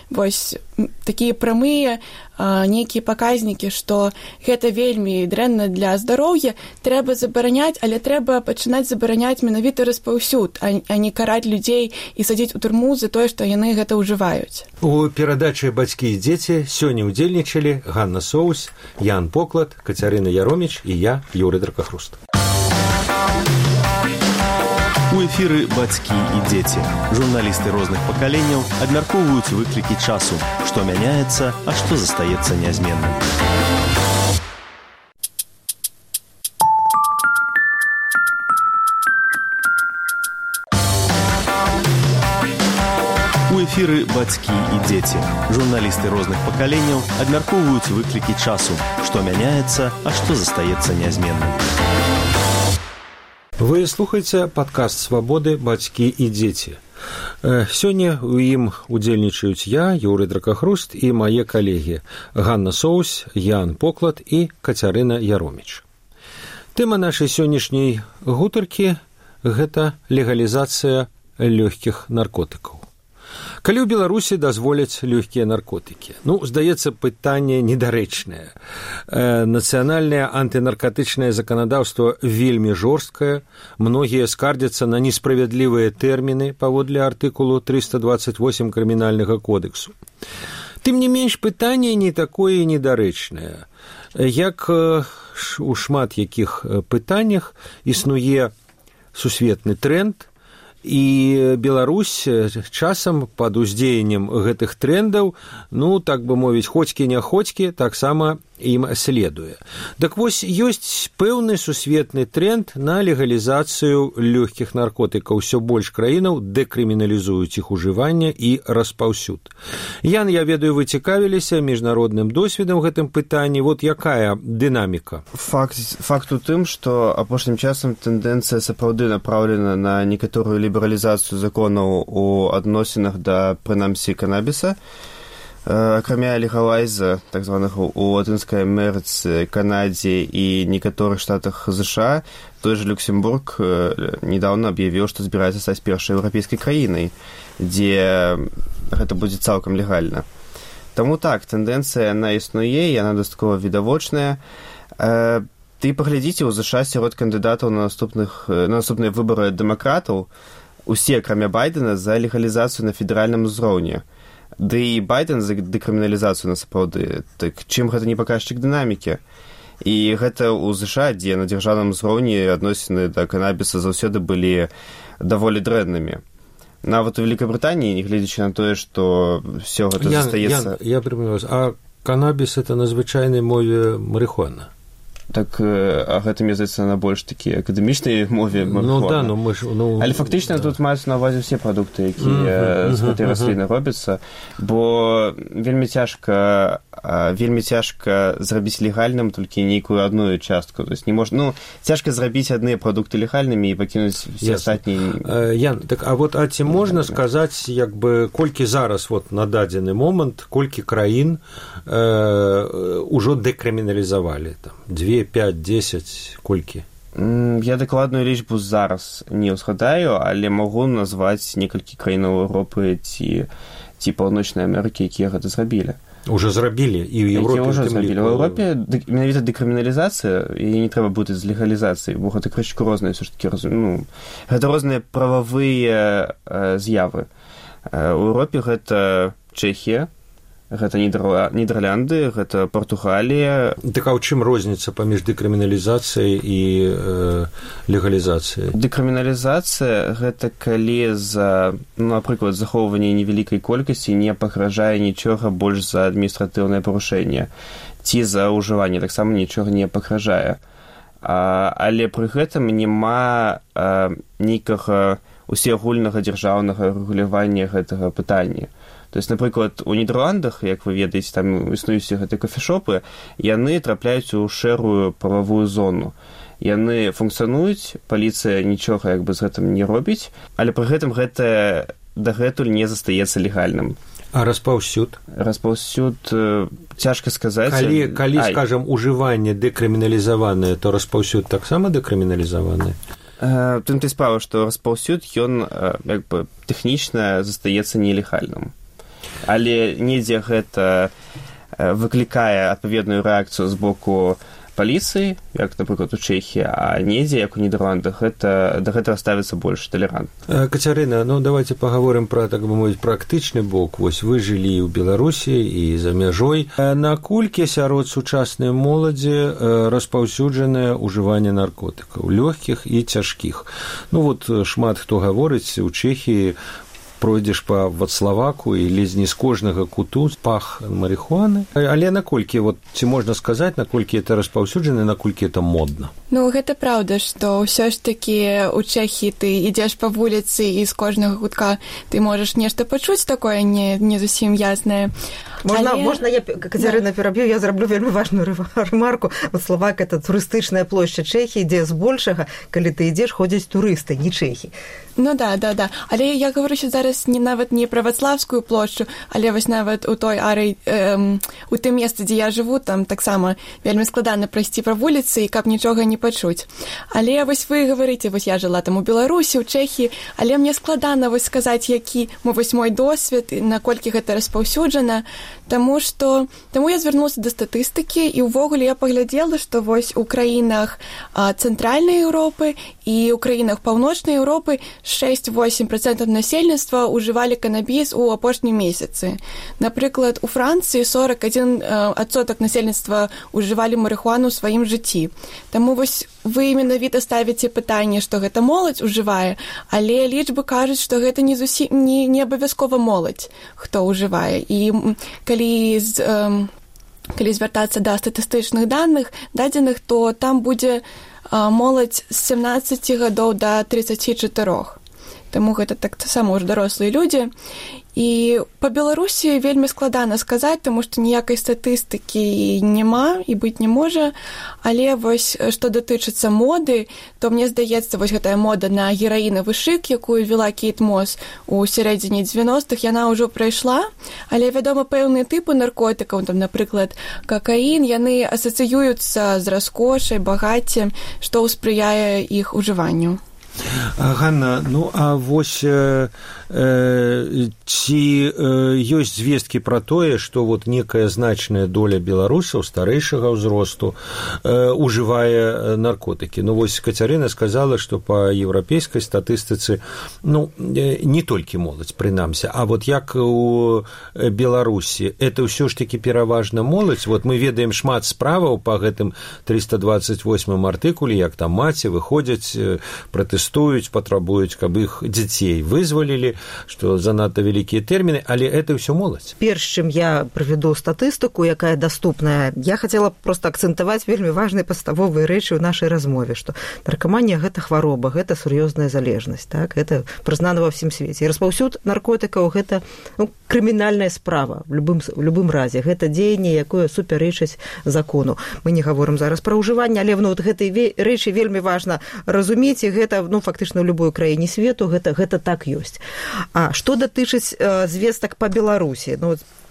вось такія прамыя нейкія паказнікі, што гэта вельмі дрэнна для здароўя, трэба забараняць, але трэба пачынаць забараняць менавіта распаўсюд, а не караць людзей і садзіць у турму за тое, што яны гэта ўжываюць. У перадачы «Бацькі і дзеці» сёння ўдзельнічалі Ганна Соус, Ян Поклад, Кацярына Яроміч і я, Юрый Дракахруст. У эфіры «Бацькі і дзеці». Журналісты розных пакаленняў абмяркоўваюць выклікі часу, што мяняецца, а што застаецца нязменным. У эфіры «Бацькі і дзеці». Журналісты розных пакаленняў абмяркоўваюць выклікі часу, што мяняецца, а што застаецца нязменным. Вы слухаеце падкаст «Свабоды. Бацькі і дзеці». Сёння ў ім удзельнічаюць я, Юрый Дракахруст, і мае калегі Ганна Соус, Ян Поклад і Кацярына Яроміч. Тэма нашай сённяшняй гутаркі – гэта легалізацыя лёгкіх наркотыкаў. Калі ў Беларусі дазволяць лёгкія наркотыкі? Здаецца, пытанне недарэчнае. Нацыянальнае антынаркатычнае заканадаўства вельмі жорсткае, многія скардзяцца на несправядлівыя тэрміны паводле артыкулу 328 крымінальнага кодексу. Тым не менш, пытанне не такое недарэчнае. Як у шмат якіх пытаннях існуе сусветны тренд, і Беларусь часам пад уздзеяннем гэтых трендаў, так бы мовіць, хоцькі-няхоцькі, таксама ім следуе. Так вось, ёсць пэўны сусветны тренд на легалізацыю лёгкіх наркотыкаў. Усё больш краінаў дэкрыміналізуюць іх ужыванне і распаўсюд. Ян, я ведаю, вы цікавіліся міжнародным досведам гэтым пытанні. Вот якая дынаміка? Факт у тым, што апошнім часам тэндэнцыя сапраўды направлена на некаторую лібералізацыю законаў у адносінах да, прынамсі, канабіса. Акрамя легалайза, так званых у Латынскай Амерыцы, Канадзе і некаторых штатах ЗША, той же Люксембург недавно аб'явіў, што збіраецца стаць першай еўрапейскай краінай, дзе гэта будзе цалкам легальна. Таму так, тэндэнцыя яна існуе, яна дастаткова відавочная. Ты паглядзіце, у ЗША сярод кандыдатаў на наступныя выбары дэмакратаў усе, акрамя Байдена, за легалізацыю на федэральным узроўні. Ды і Байден за дэкрыміналізацыю насапраўды. Так чым гэта не паказчык дынамікі? І гэта ў ЗША, дзе на дзяржаўным узроўні адносіны да канабіса заўсёды былі даволі дрэннымі. Нават у Великабрытаніі, нягледзячы на тое, што ўсё гэта застаецца... Я припомню вас, а канабіс – это на звычайнай мове марыхуана? Так, а гэта, мне здаецца, на больш такі акадэмічнай мове марыхуана. Але фактычна тут маюць на ўвазе ўсе прадукты, якія з гэтай расліны робяцца, бо вельмі цяжка зрабіць легальным толькі нейкую адну частку. То есть не можна, цяжка зрабіць адныя прадукты легальнымі і пакінуць усе астатнія. Ян, так, а ці можна сказаць, колькі зараз на дадзены момант, колькі краін ужо дэкрыміналізавалі? 2, 5, 10, колькі? Я дакладную лічбу зараз не ўзгадаю, але магу назваць некалькі краінаў Еўропы ці Паўночнай Амерыкі, якія гэта зрабілі. Уже зрабілі, і ў Еўропе. Уже зрабілі. У Еўропе менавіта дэкрыміналізацыя, і не трэба бутаць з легалізацыяй, бо гэта крышку розныя, ўсё ж такі, гэта розныя прававыя з'явы. У Еўропе гэта Чэхія, гэта Нідерланды, гэта Партугалія. Так а ў чым розніца паміж дэкрыміналізацыяй і легалізацыяй? Дэкрыміналізацыя – гэта калі за, напрыклад, захоўванне невялікай колькасці не пагражае нічога больш за адміністратыўнае парушэнне, ці за ўжыванне таксама нічога не пагражае. Але пры гэтым няма нейкага усеагульнага дзяржаўнага рэгулявання гэтага пытання. То есть, напрыклад, у Нідерландах, як вы ведаеце, там існуюць гэтыя кофешопы, яны трапляюць у шэрую прававую зону. Яны функцыянуюць, паліцыя нічога як бы з гэтым не робіць, але пры гэтым гэта дагэтуль не застаецца легальным. А распаўсюд? Распаўсюд цяжка сказаць. Калі скажам, ужыванне дэкрыміналізаванае, то распаўсюд таксама дэкрыміналізаванае? Тым ты справа, што распаўсюд, ён як бы тэхнічна застаецца нелегальным. Але недзе гэта выклікае адпаведную рэакцыю з боку паліцыі, як, напрыклад, у Чэхіі, а недзе, як у Нідерландах, да гэтага ставіцца больш талерантна. Кацярына, давайте паговорым пра, так бы мовіць, практычны бок. Вось вы жылі ў Беларусі і за мяжой. Наколькі сярод сучаснай моладзі распаўсюджанае ўжыванне наркотыкаў, лёгкіх і цяжкіх? Шмат хто гаворыць, у Чэхіі пройдзеш па Вацлаваку і ледзь не з кожнага куту пах марихуаны. Але наколькі, ці можна сказаць, наколькі это распаўсюджана, наколькі это модна? Гэта праўда, што ўсё ж такі у Чэхіі ты ідзеш па вуліцы і з кожнага кутка ты можаш нешта пачуць такое не зусім яснае. Можна я, Кацярына, пераб'ю, я зраблю вельмі важную ремарку. Вацлавак – это турыстычная плошча Чэхіі, дзе збольшага, калі ты ідзеш, ходзяць турысты, не чэхі. Да. Але я говорю зараз нават не пра Вацлавскую плошчу, але вось нават у той арый, у тым месцы, дзе я жыву, там таксама вельмі складана прайсці па вуліцы і каб нічога не пачуць. Але вось вы гаварыце, вось я жыла там у Беларусі, у Чэхіі, але мне складана вось сказаць, які мой досвед, наколькі гэта распаўсюджана, таму я звярнулася да статыстыкі і ўвогуле я паглядзела, што вось у краінах цэнтральнай Еўропы і ў краінах паўночнай Еўропы 6-8% насельніцтва ўжывалі канабіс у апошнім месяцы. Напрыклад, у Францыі 41% насельніцтва ўжывалі марихуану ў сваім жыцці. Таму вось вы менавіта ставіце пытанне, што гэта моладзь ужывае, але лічбы кажуць, што гэта не абавязкова моладзь, хто ўжывае. І калі звяртацца да статыстычных дадзеных, то там будзе моладзь з 17 гадоў да 34. Таму гэта таксама ўжо дарослыя людзі. І па Беларусі вельмі складана сказаць, таму што ніякай статыстыкі няма і быць не можа. Але вось што датычыцца моды, то мне здаецца, вось гэтая мода на гераінавы шык, якую вела Кейт Мос у сярэдзіне 90-х, яна ўжо прайшла. Але, вядома, пэўныя тыпы наркотыкаў, там, напрыклад, какаін, яны асацыююцца з раскошай, багаццем, што спрыяе іх ужыванню. Ганна, а вось ці ёсць звесткі пра тое, што некая значная доля беларусаў старэйшага ўзросту ужывае наркотыкі? Вось Кацярына сказала, што па еўрапейскай статыстыцы не толькі моладзь, прынамсі, а як у Беларусі, это ўсё ж такі пераважна моладзь. Мы ведаем шмат справаў па гэтым 328 артыкуле, як там маці выходзяць, пратэстуюць, патрабуюць, каб іх дзяцей вызвалілі, што занадта вялікія тэрміны, але это ўсё моладзь. Перш чым я правяду статыстыку, якая даступная, я хацела проста акцэнтаваць вельмі важныя падставовыя рэчы ў нашай размове, што наркаманія – гэта хвароба, гэта сур'ёзная залежнасць, так? Гэта прызнана ва ўсім свеце. І распаўсюд наркотыкаў – гэта крымінальная справа в любым разе. Гэта дзеянне, якое супярэчыць закону. Мы не гаворым зараз пра ўжыванне, але гэтай рэчы вельмі важна разумець, і гэта фактычна ў любой краіне свету гэта так ёсць. А што датычыць звестак па Беларусі?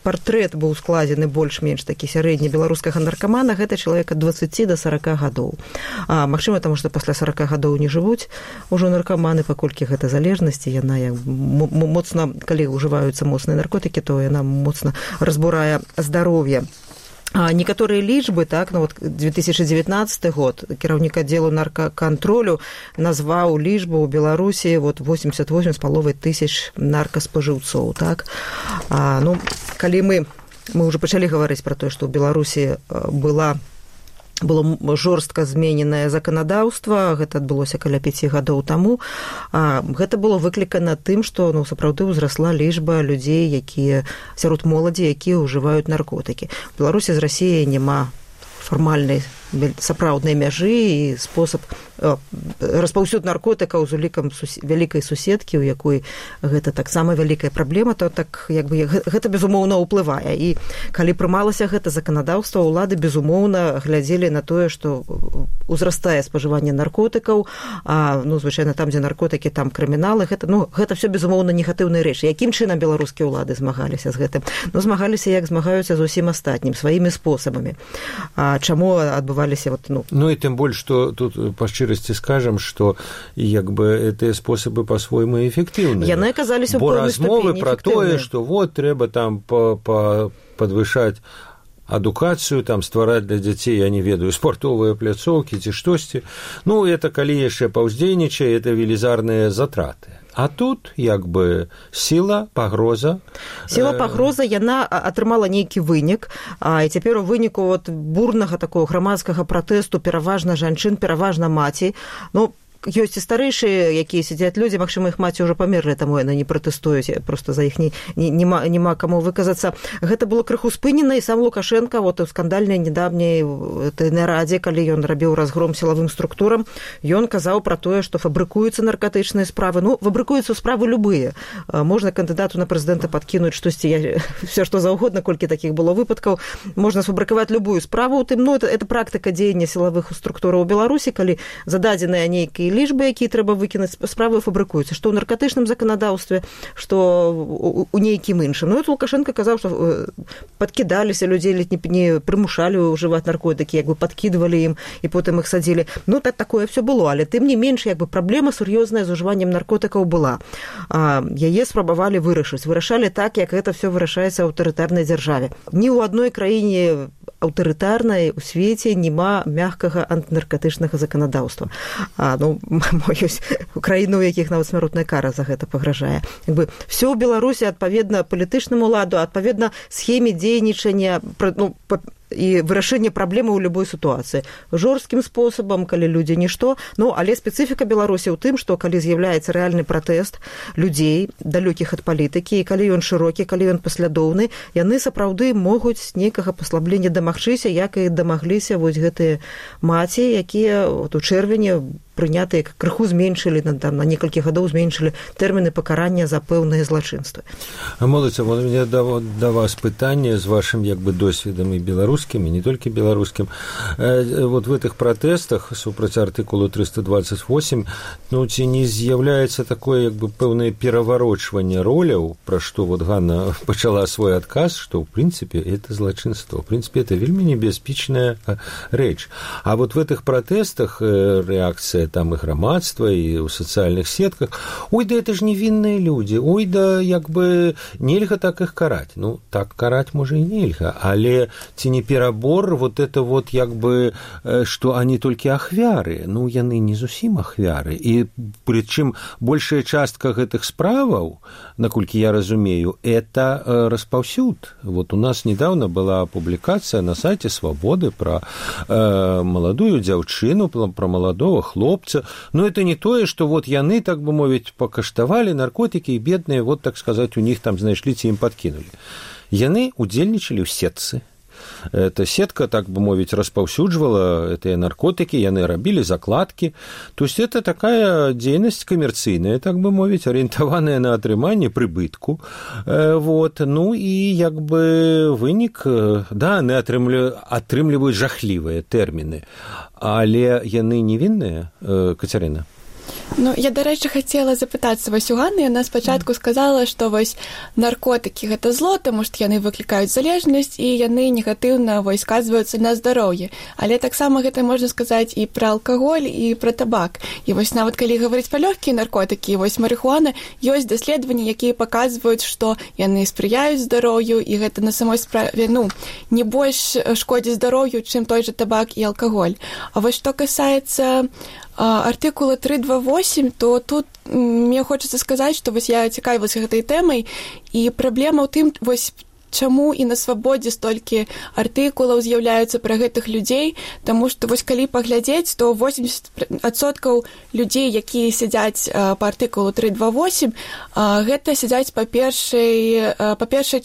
Партрэт быў складзены больш-менш такі сярэдні беларускага наркамана, гэта чалавек ад 20 до 40 гадоў. Магчыма, таму што пасля 40 гадоў не жывуць ужо наркаманы, паколькі гэта залежнасць, яна моцна, калі ўжываюцца моцныя наркотыкі, то яна моцна разбурае здароўе. Некаторыя лічбы, 2019 год, кіраўнік аддзелу наркакантролю назваў лічбу ў Беларусі 88,5 тысяч наркаспажыўцоў. Калі мы ўжо пачалі гаварыць пра тое, што ў Беларусі было жорстка змененае заканадаўства, гэта адбылося каля 5 гадоў таму. Гэта было выклікана тым, што сапраўды ўзрасла лічба людзей, сярод моладзі, якія ўжываюць наркотыкі. У Беларусі з Расіяй няма фармальнай сапраўднай мяжы і спосаб распаўсюд наркотыкаў з улікам вялікай суседкі, у якой гэта таксама вялікая праблема, то так як бы гэта безумоўна ўплывае. І калі прымалася гэта заканадаўства, улады безумоўна глядзелі на тое, што узрастае спажыванне наркотыкаў, а звычайна там, дзе наркотыкі, там крыміналы, гэта все безумоўна негатыўныя рэчы. Якім чынам беларускія ўлады змагаліся з гэтым? Змагаліся, як змагаюцца з усім астатнім, сваімі спосабамі. А чаму адбываліся Ну і тым больш, што тут па шчырасці скажам, што як бы гэтыя спосабы па-свойму эфектыўныя. Яны аказаліся ў Бо пэўнай размовы ступені пра тое, што трэба там падвышаць адукацыю, там ствараць для дзяцей, я не ведаю, спартовыя пляцоўкі ці штосьці. Это калі яшчэ паўздзейнічае, это велізарныя затраты. А тут як бы сіла, пагроза. Сіла, пагроза, яна атрымала нейкі вынік, і цяпер у выніку бурнага такого грамадскага пратэсту пераважна жанчын, пераважна маці. Ёсць і старэйшыя, якія сядзяць людзі, магчыма, іх маці ўжо памерлі, таму яны не пратэстуюць, проста за іх нема каму выказацца. Гэта было крыху спынена, і сам Лукашенко у скандальнай недавняй нарадзе, калі ён рабіў разгром сілавым структурам, ён казаў пра тое, што фабрыкуюцца наркатычныя справы. Фабрыкуюцца справы любыя. Можна кандыдату на прэзідэнта падкінуць штосьці, все што заўгодна, колькі такіх было выпадкаў. Можна сфабрыкаваць любую справу. Это практыка дзеяння сілавых структураў у Беларусі, калі зададзеныя нейкія лічбы, якія трэба выкінуць, справы фабрыкуюцца, што ў наркатычным заканадаўстве, што у нейкім іншым. Лукашенко казаў, што падкідаліся людзей, не прымушалі ўжываць наркотыкі, як бы падкідвалі ім і потым іх садзілі. Такое все было, але тым не менш, як бы праблема сур'ёзная з ужываннем наркотыкаў была. Яе спрабавалі вырашалі так, як гэта все вырашаецца ў аўтарытарнай дзяржаве. Ні ў адной краіне аўтарытарнай у свеце няма мяккага антынаркатычнага заканадаўства. Ёсць краіны, у якіх нават смяротная кара за гэта пагражае. Все ў Беларусі адпаведна палітычнаму ладу, адпаведна схеме дзейнічання і вырашэнне праблемы ў любой сітуацыі. Жорсткім спосабам, калі людзі нішто, але спецыфіка Беларусі ў тым, што калі з'яўляецца рэальны пратэст людзей, далёкіх ад палітыкі, і калі ён шырокі, калі ён паслядоўны, яны сапраўды могуць нейкага паслаблення дамагчыся, як і дамагліся гэтыя маці, якія у чэрвені прынятыя крыху зменшылі, на некалькі гадоў зменшылі тэрміны пакарання за пэўныя злачынствы. Моладзь, у мяне да вас пытанне з вашым досведам і беларускім, і не толькі беларускім. В гэтых пратэстах супраць артыкулу 328, ці не з'яўляецца такое пэўнае пераварочванне роляў, пра што Ганна пачала свой адказ, што ў прынцыпе это злачынство. В прынцыпе, это вельмі небяспечная рэч. А в гэтых пратэстах рэакцыя там і грамадства, і ў сацыяльных сетках. Это ж невінныя людзі. Нельга так іх караць. Так караць можа і нельга, але ці не перабор што они толькі ахвяры. Яны не зусім ахвяры. І прычым большая частка гэтых справаў, наколькі я разумею, это распаўсюд. У нас недавно была публікацыя на сайце Свабоды пра маладую дзяўчыну, пра маладого хлопца. Это не тое, што яны, так бы мовіць, пакаштавалі наркотыкі, і бедныя, так сказаць, у них там знайшлі, ці ім падкінулі. Яны удзельнічалі ў сетцы. Эта сетка, так бы мовіць, распаўсюджвала гэтыя наркотыкі, яны рабілі закладкі. То есть это такая дзейнасць камерцыйная, так бы мовіць, арыентаваная на атрыманне прыбытку. І вынік, яны атрымліваюць жахлівыя тэрміны. Але яны невінныя, Кацярына? Я, дарэчы, хацела запытацца у Ганны. Яна спачатку сказала, што наркотыкі гэта зло, таму што яны выклікаюць залежнасць і яны негатыўна сказваюцца на здароўе. Але таксама гэта можна сказаць і пра алкаголь, і пра табак. І нават калі гаварыць пра лёгкія наркотыкі, марыхуана, ёсць даследаванні, якія паказваюць, што яны спрыяюць здароўю, і гэта на самой справе не больш шкодзіць здароўю, чым той жа табак і алкаголь. А што касаецца артыкула 328, то тут мне хочацца сказаць, што я цікавілася гэтай тэмай, і праблема ў тым, чаму і на Свабодзе столькі артыкулаў з'яўляюцца пра гэтых людзей, таму што калі паглядзець, то 80% людзей, якія сядзяць па артыкулу 328, гэта сядзяць па першай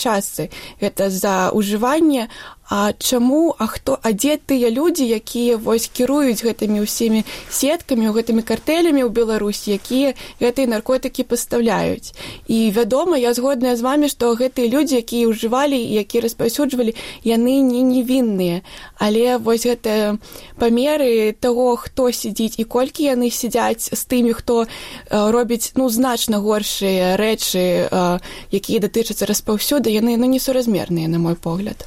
частцы. Гэта за ўжыванне, дзе тыя людзі, якія вось кіруюць гэтымі ўсімі сеткамі, гэтымі картэлямі ў Беларусі, якія гэтыя наркотыкі пастаўляюць. І вядома, я згодная з вамі, што гэтыя людзі, якія ўжывалі і якія распаўсюджвалі, яны не невінныя. Але вось гэта памеры таго, хто сядзіць і колькі яны сядзяць з тымі, хто робіць значна горшыя рэчы, якія датычацца распаўсюду, яны несуразмерныя, на мой погляд.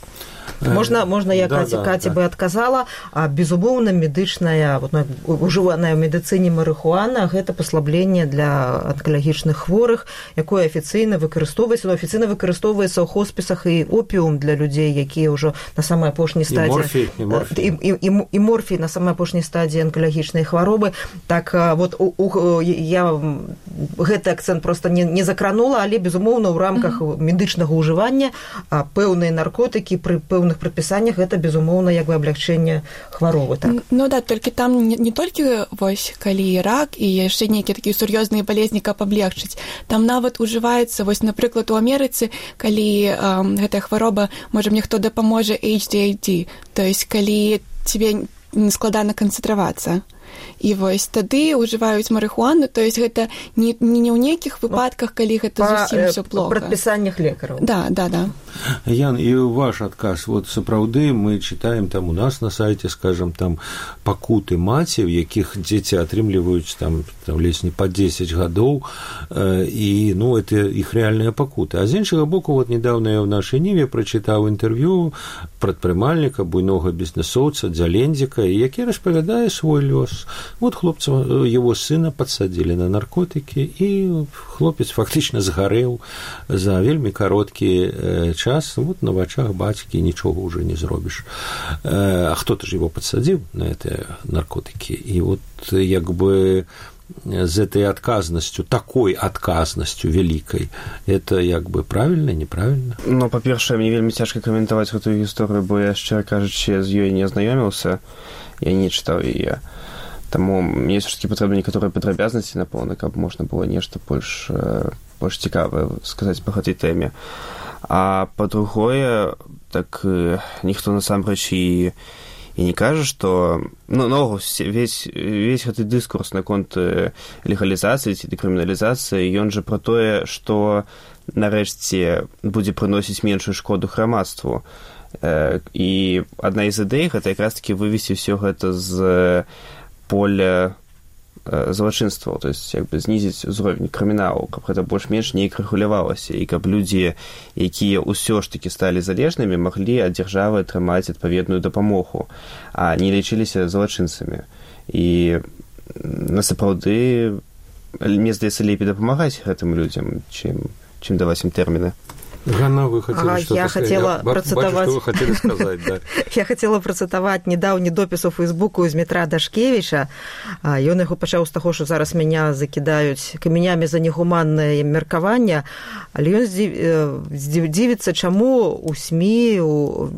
Можна я Каці бы адказала, безумоўна, медычная, ужываная ў медыцыне марыхуана, гэта паслабленне для анкалагічных хворых, якое афіцыйна выкарыстоўваецца ў хоспісах, і опіум для людзей, якія ўжо на самай апошняй стадыі і морфій на самай апошняй стадыі анкалагічнай хваробы. Так я гэты акцэнт проста не закранула, але безумоўна ў рамках медычнага ўжывання пэўныя наркотыкі пры пэўных прадпісаннях гэта безумоўна як бы аблягчэнне хваробы, так. Толькі там не толькі вось калі рак і яшчэ нейкія такія сур'ёзныя балезні, каб аблегчыць. Там нават ужываецца, вось, напрыклад, у Амерыцы, калі гэтая хвароба, можа, мне хто дапаможа, HDAD, то есть калі тебе складана канцэнтравацца. І вось тады ўжываюць марыхуану, то есть гэта не ў нейкіх выпадках, калі гэта зусім ўсё плохо. Па прадпісаннях лекараў. Да. Ян, і ваш адказ, сапраўды мы чытаем там у нас на сайце, скажем, там пакуты маці, у якіх дзеці атрымліваюць там ледзь не па 10 гадоў, і это іх рэальныя пакуты. А з іншага боку, недавно я ў нашай Ніве прачытаў інтэрв'ю прадпрымальніка, буйнога бізнесоўца Дзялендзіка, які распавядае свой лёс. Хлопца, его сына подсадили на наркотики, и хлопец фактично сгорел за вельмі кароткі час. На вачах бацькі нічога уже не зробіш. А кто-то же его подсадил на эти наркотики. И як бы з этой отказностью, такой отказностью великой, это як бы правильно, неправильно? Па-першае, мне вельмі цяжка каментаваць гэтую гісторыю, бо я, шчыра кажучы, з ёй не азнаёміўся, я не чытаў яе. Таму мне ўсё-такі патрэбны некаторыя падрабязнасці, напэўна, каб можна было нешта больш цікавае сказаць па гэтай тэме. А па-другое, так ніхто насамрэч і не кажа, што весь гэты дыскурс наконт легалізацыі ці дэкрыміналізацыі, ён жа пра тое, што нарэшце будзе прыносіць меншую шкоду грамадству. І адна з ідэй гэта якраз-такі вывесці ўсё гэта з поля злачынстваў, то есть як бы знізіць узровень крыміналу, каб гэта больш-менш неяк рэгулявалася, і каб людзі, якія ўсё ж такі сталі залежнымі, маглі ад дзяржавы атрымаць адпаведную дапамогу, а не лічыліся злачынцамі. І насапраўды, мне здаецца, лепей дапамагаць гэтым людзям, чым даваць ім тэрміны. Ганна, вы хотели что-то сказать? Вы хотели сказать, да. Я хотела працытаваць недаўні допіс у Фейсбуку з Дмітра Дашкевіча. Ён яго пачаў з таго, што зараз мяне закідаюць камянямі за негуманнае меркаванне, але ён дзівіцца, чаму ў СМІ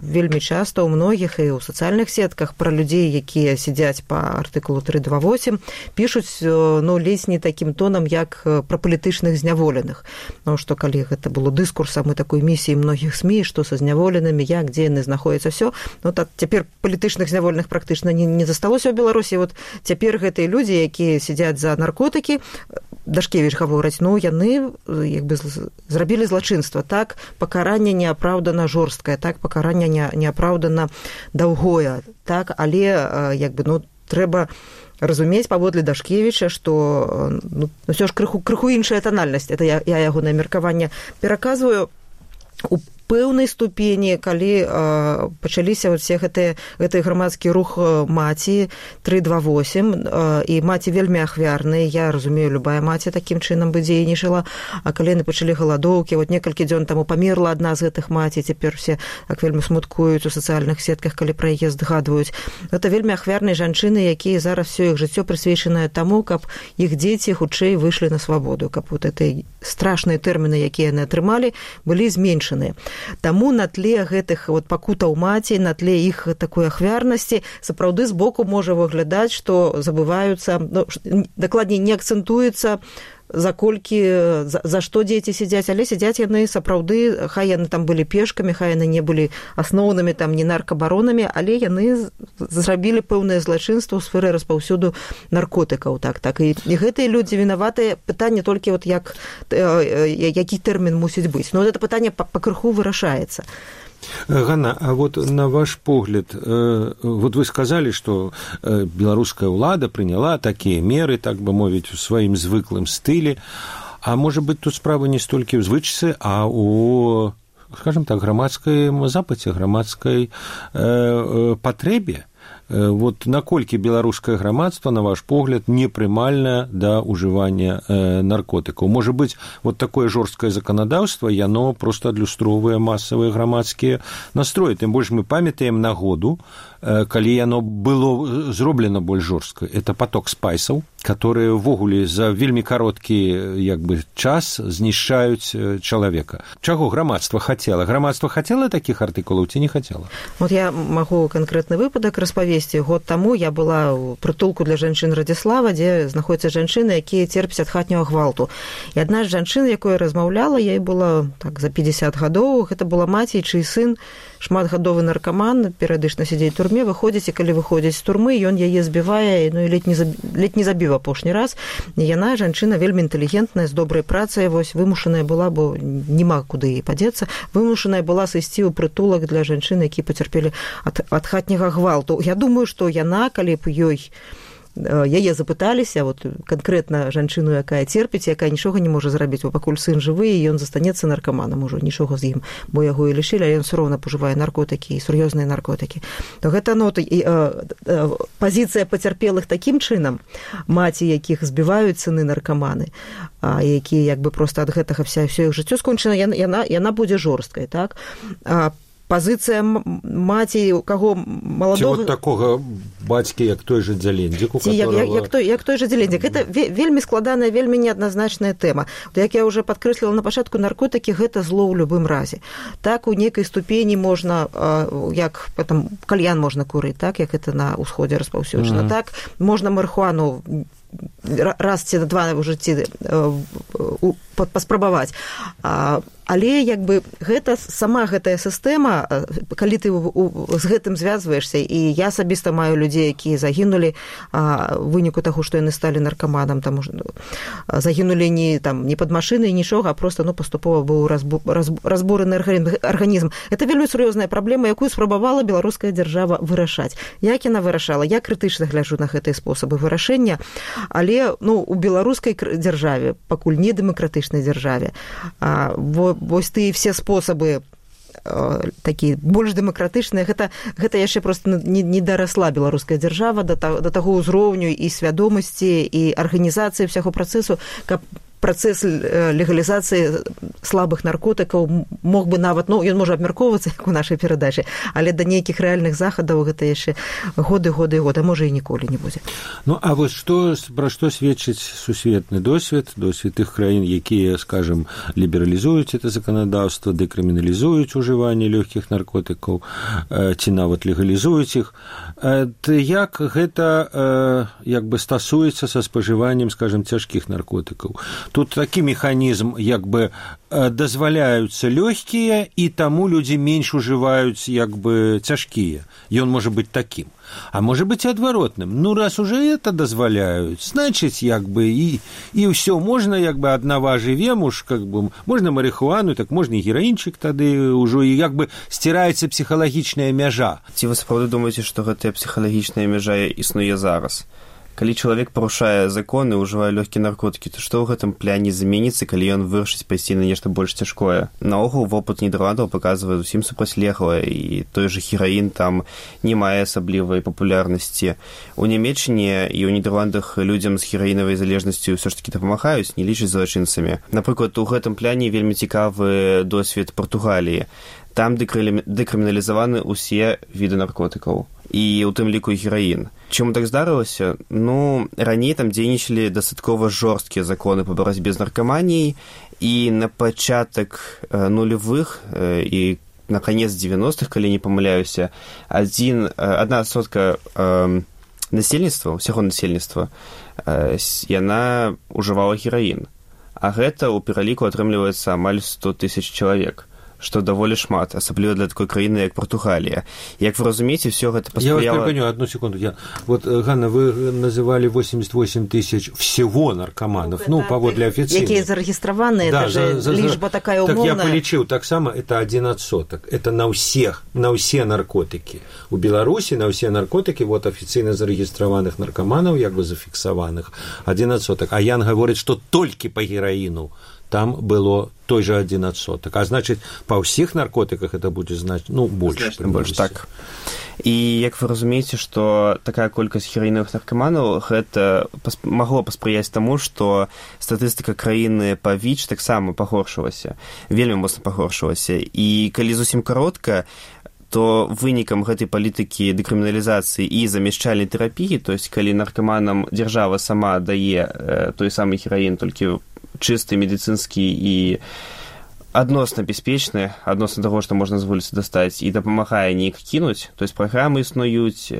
вельмі часта ў многіх і ў сацыяльных сетках пра людзей, якія сядзяць па артыкулу 328, пішуць ледзь не такім тонам, як пра палітычных зняволеных. Што калі гэта было дыскурсам такой місіі многіх СМІ, што са зняволенымі, як, дзе яны знаходзяцца, ўсё. Так цяпер палітычных зняволеных практычна не засталося ў Беларусі. Цяпер гэтыя людзі, якія сядзяць за наркотыкі, Дашкевіч гаворыць, яны як бы зрабілі злачынства, так, пакаранне неапраўдана жорсткае, так, пакаранне неапраўдана даўгое, так, але як бы, трэба разумець паводле Дашкевіча, што ўсё ж крыху іншая тональнасць. Это я ягонае меркаванне пераказваю у пэўнай ступені, калі пачаліся все гэты грамадскі рух маці 328, і маці вельмі ахвярныя, я разумею, любая маці такім чынам бы дзейнічала, а калі яны пачалі галадоўкі, некалькі дзён таму памерла адна з гэтых маці, цяпер все так вельмі смуткуюць у сацыяльных сетках, калі пра яе згадваюць. Гэта вельмі ахвярныя жанчыны, якія зараз все іх жыццё прысвечанае таму, каб іх дзеці хутчэй выйшлі на свабоду, каб гэты страшныя тэрміны, якія яны атрымалі, былі зменшаныя. Таму на тле гэтых пакутаў маці, на тле іх такой ахвярнасці, сапраўды збоку можа выглядаць, што забываюцца, дакладней, не акцэнтуецца за што дзеці сядзяць, але сядзяць яны сапраўды, хай яны там былі пешкамі, хай яны не былі асноўнымі там не наркабаронамі, але яны зрабілі пэўнае злачынства ў сферы распаўсюду наркотыкаў. Так. І гэтыя людзі вінаватыя, пытанне толькі вот які тэрмін мусіць быць. Но гэта пытанне пакрыху вырашаецца. Ганна, а вот на ваш погляд, вот вы сказали, что белорусская ўлада приняла такие меры, так бы мовить, в своим звыклым стиле, а может быть тут справа не столько в звычцы, а у, скажем так, грамадскім запыце, грамадскай патрэбе. Вот наколькі беларускае грамадства, на ваш погляд, непрымальна да ўжывання наркотыкаў? Можа быць, вот такое жорсткае заканадаўства, яно проста адлюстроўвае масавыя грамадскія настроі. Тым больш мы памятаем нагоду, калі яно было зроблена больш жорстка. Это поток спайсаў, которые ўвогуле за вельмі кароткі час знішчаюць чалавека. Чаго грамадства хацела? Грамадства хацела такіх артыкулаў ці не хацела? Вот я магу канкрэтны выпадак распавесці. Год таму я была ў прытулку для жанчын Радзіслава, дзе знаходзяцца жанчыны, якія церпяць ад хатняга гвалту. І адна з жанчын, якой размаўляла, ёй было так за 50 гадоў, гэта была маці, чый сын шматгадовы наркаман, перыядычна сядзець у турме, выходзіць, і калі выходзіць з турмы, ён яе збівае, ну і ледзь не забіў апошні раз. І яна, жанчына, вельмі інтэлігентная, з добрай працай, вось вымушаная была, бо няма куды падзецца, вымушаная была сысці ў прытулак для жанчын, які пацярпелі ад хатняга гвалту. Я думаю, што яна, калі б яе запыталіся, вот канкрэтна жанчыну, якая церпіць, якая нічога не можа зрабіць, бо пакуль сын жывы, і ён застанецца наркаманам ужо, нічога з ім, бо яго і лішылі, але ён усё роўна пажывае наркотыкі і сур'ёзныя наркотыкі. То гэта пазіцыя пацярпелых такім чынам, маці, якіх збіваюць сыны наркаманы, якія проста ад гэтага ўсё іх жыццё скончана, яна будзе жорсткай, так? Пазіцыя маці, у каго маладога... Ці вот такога бацькі, як той жа Дзялендзік, у которого... Як той жа Дзялендзік. Гэта вельмі складаная, вельмі неадназначная тэма. Як я ўжо падкрэсліла на пачатку, наркотыкі – гэта зло ў любым разе. Так, у нейкай ступені можна, як кальян можна курыць, так, як гэта на ўсходзе распаўсюджана. Так, можна марыхуану раз ці два ў жыцці паспрабаваць. Але сама гэтая сістэма, калі ты з гэтым звязваешся, і я асабіста маю людзей, якія загінулі ў выніку таго, што яны сталі наркаманам, загінулі не пад машынай, нічога, а проста паступова быў разбураны арганізм. Это вельмі сур'ёзная праблема, якую спрабавала беларуская дзяржава вырашаць. Як яна вырашала? Я крытычна гляджу на гэтыя спосабы вырашэння, але у беларускай дзяржаве, пакуль не дэмакратычнай дзяржаве, вось тыя все спосабы такія больш дэмакратычныя, гэта яшчэ проста не дарасла беларуская дзяржава да таго ўзроўню і свядомасці і арганізацыі ўсяго працэсу, каб працэс легалізацыі слабых наркотыкаў мог бы нават, ён можа абмяркоўвацца, як у нашай перадачы, але да нейкіх рэальных захадаў гэта яшчэ годы, а можа і ніколі не будзе. А вось пра што сведчыць сусветны досвед тых краін, якія, скажем, лібералізуюць это заканадаўства, дэкрыміналізуюць ужыванне лёгкіх наркотыкаў, ці нават легалізуюць іх. Як гэта стасуецца са спажываннем, скажем, цяжкіх наркотыкаў? Тут такі механізм, дазваляюцца лёгкія, і таму людзі менш ужываюць, цяжкія. Ён можа быць такім. А можа быць і адваротным. Раз уже это дазваляюць, значыць, і ўсё, можна, аднава жывем, можна марыхуану, так можна і гераінчык тады ўжо, і сціраецца псіхалагічная мяжа. Ці вы сапраўды думаеце, што гэтая псіхалагічная мяжа існуе зараз? Калі чалавек парушае законы, ўжывае лёгкія наркотыкі, то што ў гэтым пляне зменіцца, калі ён вырашыць пайсці на нешта больш цяжкое? Наогул, вопыт Нідерландаў паказвае зусім супрацьлеглае, і той жа гераін там не мае асаблівай папулярнасці. У Нямецчыне і ў Нідерландах людзям з гераінавай залежнасцю ўсё ж такі дапамагаюць, не лічаць злачынцамі. Напрыклад, у гэтым пляне вельмі цікавы досвед Партугаліі. Там дэкрыміналізаваны ўсе віды наркотыкаў, і ў тым ліку гераін. Чаму так здарылася? Раней там дзейнічалі дастаткова жорсткія законы па барацьбе з наркаманіяй, і на пачатак нулевых і на канец 90-х, калі не памыляюся, 1% насельніцтва, усяго насельніцтва, яна ўжывала гераін. а гэта ў пераліку атрымліваецца амаль 100 тысяч чалавек, што даволі шмат, асабліва для такой краіны, як Партугалія. Як вы разумееце, все гэта паспрыяла... Я вас перепоню, одну секунду. Вот, Ганна, вы называли 88 тысяч всего наркоманов, паводле официальных. Якія зарегистраваны, да, это же лічба такая умовная. Так я полічыў, таксама это 1%. Это на ўсе наркотики. У Беларусі на ўсе наркотики, вот официально зарегистраваных наркоманов, як бы зафіксаваных, 1%. А Ян говорит, что только по героину там было той же 1%. А значит, па ўсіх наркотиках это будзе значыць, больше. Больше, так. І як вы разумееце, што такая колькасць гераінавых наркаманаў гэта магло паспрыяць таму, што статыстыка краіны па ВІЧ таксама пагоршылася, вельмі моцна пагоршылася. І калі зусім каротка, то вынікам гэтай палітыкі дэкрыміналізацыі і замяшчальнай тэрапіі, то есть калі наркаманам дзяржава сама дае той самы гераін, толькі чысты, медыцынскі і адносна бяспечны, адносна таго, што можна з вуліцы дастаць, і дапамагае неяк кінуць. То есть праграмы існуюць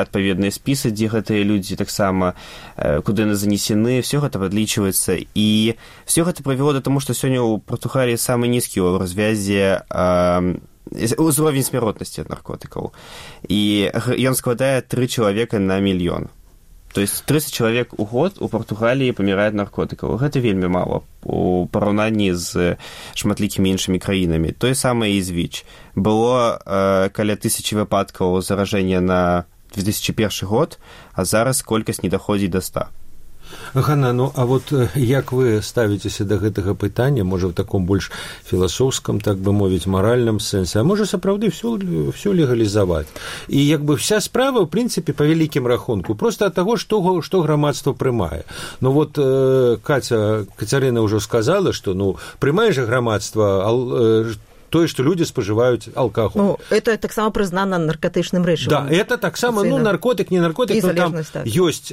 адпаведныя спісы, дзе гэтыя людзі таксама, куды яны занесены, все гэта падлічваецца. І все гэта прывяло да таму, што сёння ў Партугаліі самы нізкі ў развязе узровень смяротнасці ад наркотыкаў. І ён складае 3 чалавека на мільён. То есть 30 человек у год у Португалии помирает наркотиков. Гэта вельмі мало у параўнанні з шматлікімі іншымі краінамі. Тое самае і з ВІЧ. Было каля 1000 выпадкаў зараження на 2001 год, а зараз колькасць не даходзіць до 100. Ганна, а вот як вы ставіцеся да гэтага пытання, можа, в таком больш філасофском, так бы мовіць, маральным сэнсе, а можа, сапраўды всё легалізаваць? І як бы вся справа, в прынцыпе, па вялікім рахунку, просто ад таго, што грамадства прымае. Вот Кацярына ўжо сказала, што, прымае жа грамадства тое, што людзі спажываюць алкаголь. Это таксама прызнана наркотычным рэчывам. Да, это таксама, наркотык, не наркотик, но там ёсць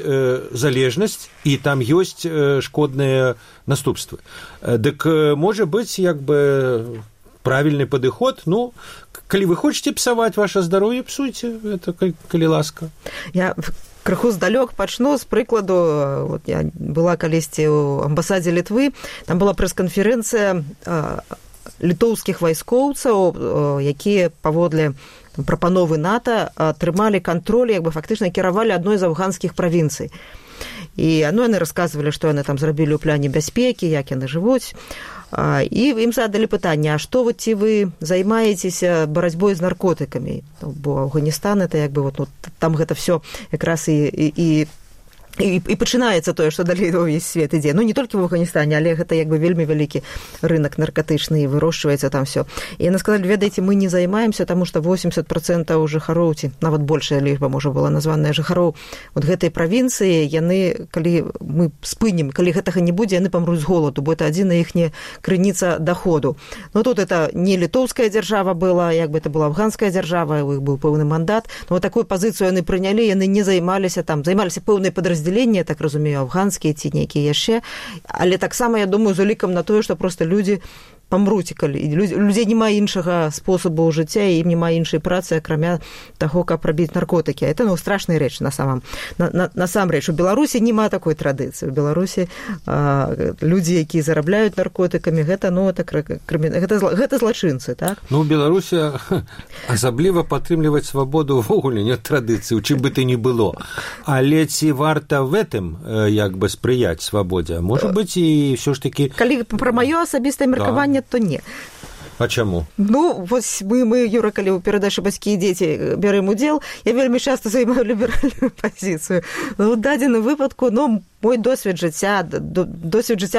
залежнасць, і там ёсць шкодныя наступствы. Дык, можа быць, як бы правільны падыход, калі вы хочаце псаваць ваше здароўе, псуйце, это калі ласка. Я крыху здалёк пачну з прыкладу. Вот я была калісьці ў амбасадзе Літвы, там была прэс-канферэнцыя літоўскіх вайскоўцаў, якія паводле прапановы НАТО атрымалі кантроль, як бы фактычна кіравалі адной з афганскіх правінцый. І яны расказвалі, што яны там зрабілі ў пляне бяспекі, як яны жывуць. І ім задалі пытанне, а што ці вы займаецеся барацьбой з наркотыкамі? Бо Афганістан, это як бы там гэта всё якраз і пачынаецца тое, што далей увесь свет ідзе. Не толькі в Афганістане, але гэта як бы вельмі вялікі рынок наркотычны, і вырошчваецца там всё. І яны сказалі, ведаеце, мы не займаемся, таму што 80% жыхароў, ці нават большая лічба, можа, была названая жыхароў гэтай правінцыі, яны, калі мы спынем, калі гэтага не будзе, яны памруць з голаду, бо это адзіная іхняя крыніца даходу. Тут это не літоўская дзяржава была, як бы это была афганская дзяржава, у іх быў пэўны мандат. Такую пазіцыю яны прынялі, яны не займаліся пэўнай падраздзяленні, я так разумею, афганскія ці нейкія яшчэ, але таксама, я думаю, з улікам на тое, што проста людзі памруць, калі людзей няма іншага спосабу жыцця, і ім няма іншай працы, акрамя таго, каб рабіць наркотыкі. Это страшная рэч насамрэч. У Беларусі няма такой традыцыі. У Беларусі людзі, якія зарабляюць наркотыкамі, гэта злачынцы, так? У Беларусі асабліва падтрымліваць свабоду ўвогуле не традыцыі, у чым бы ты ні было. Але ці варта в этом як бы спрыяць свабодзе? Можа быць, і ўсё ж такі... Калі пра маё асабістае меркаванне, то не. А чаму? Вось мы, Юра, калі ў перадачы «Бацькі і дзеці» бярэм удзел, я вельмі часта займаю ліберальную пазіцыю. У дадзеным выпадку, мой досвед жыцця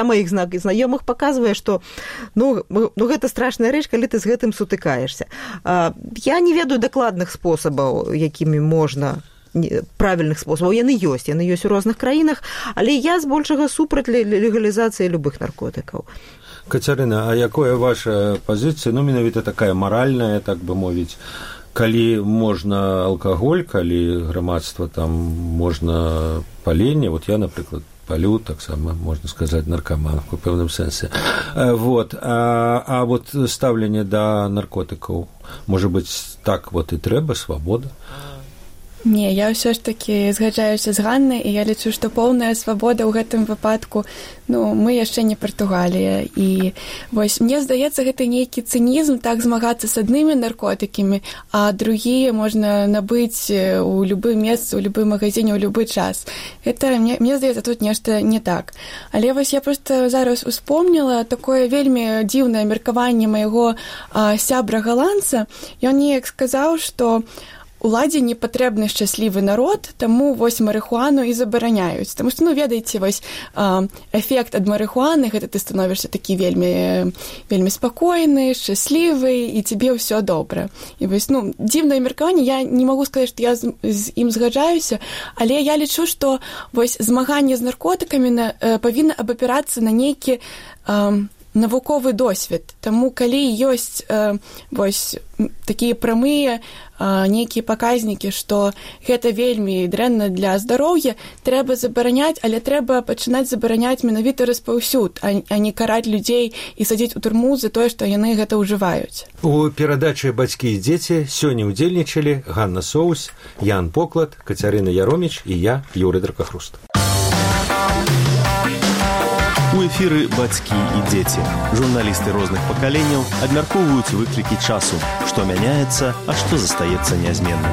маіх знаёмых паказвае, што гэта страшная рэч, калі ты з гэтым сутыкаешся. Я не ведаю дакладных спосабаў, якімі можна, правільных спосабаў. Яны ёсць у розных краінах, але я збольшага супраць легалізацыі любых наркотыкаў. Кацярына, а якая ваша пазіцыя, менавіта такая маральная, так бы мовіць, калі можна алкаголь, калі грамадства там можна паленне, я, напрыклад, палю, таксама, можна сказаць, наркаман у пэўным сэнсе. А стаўленне да наркотыкаў, можа быць, так і трэба, свабода? Не, я ўсё ж такі згаджаюся з Ганнай, і я лічу, што поўная свабода ў гэтым выпадку, мы яшчэ не Партугалія. І вось, мне здаецца, гэта нейкі цынізм, так змагацца з аднымі наркотыкамі, а другія можна набыць у любым месцы, у любым магазине, ў любы час. Гэта, мне здаецца, тут нешта не так. Але вось я проста зараз успомніла такое вельмі дзіўнае меркаванне майго сябра-галандца. Ён неяк сказаў, што уладзе не патрэбны шчаслівы народ, таму вось марыхуану і забараняюць. Таму што, ведаеце, вось эфект ад марыхуаны, гэта ты становішся такі вельмі, вельмі спакойны, шчаслівы, і цябе ўсё добра. І вось, дзіўнае меркаванне, я не магу сказаць, што я з ім згаджаюся, але я лічу, што вось змаганне з наркотыкамі павінна абапірацца на нейкі навуковы досвед. Таму калі ёсць вось такія прамыя нейкія паказнікі, што гэта вельмі дрэнна для здароўя, трэба забараняць, але трэба пачынаць забараняць менавіта распаўсюд, а не караць людзей і садзіць у турму за тое, што яны гэта ўжываюць. У перадачы «Бацькі і дзеці» сёння ўдзельнічалі Ганна Соус, Ян Поклад, Кацярына Яроміч і я, Юрый Дракахруст. У эфіры «Бацькі і дзеці». Журналісты розных пакаленняў абмяркоўваюць выклікі часу, што мяняецца, а што застаецца нязменным.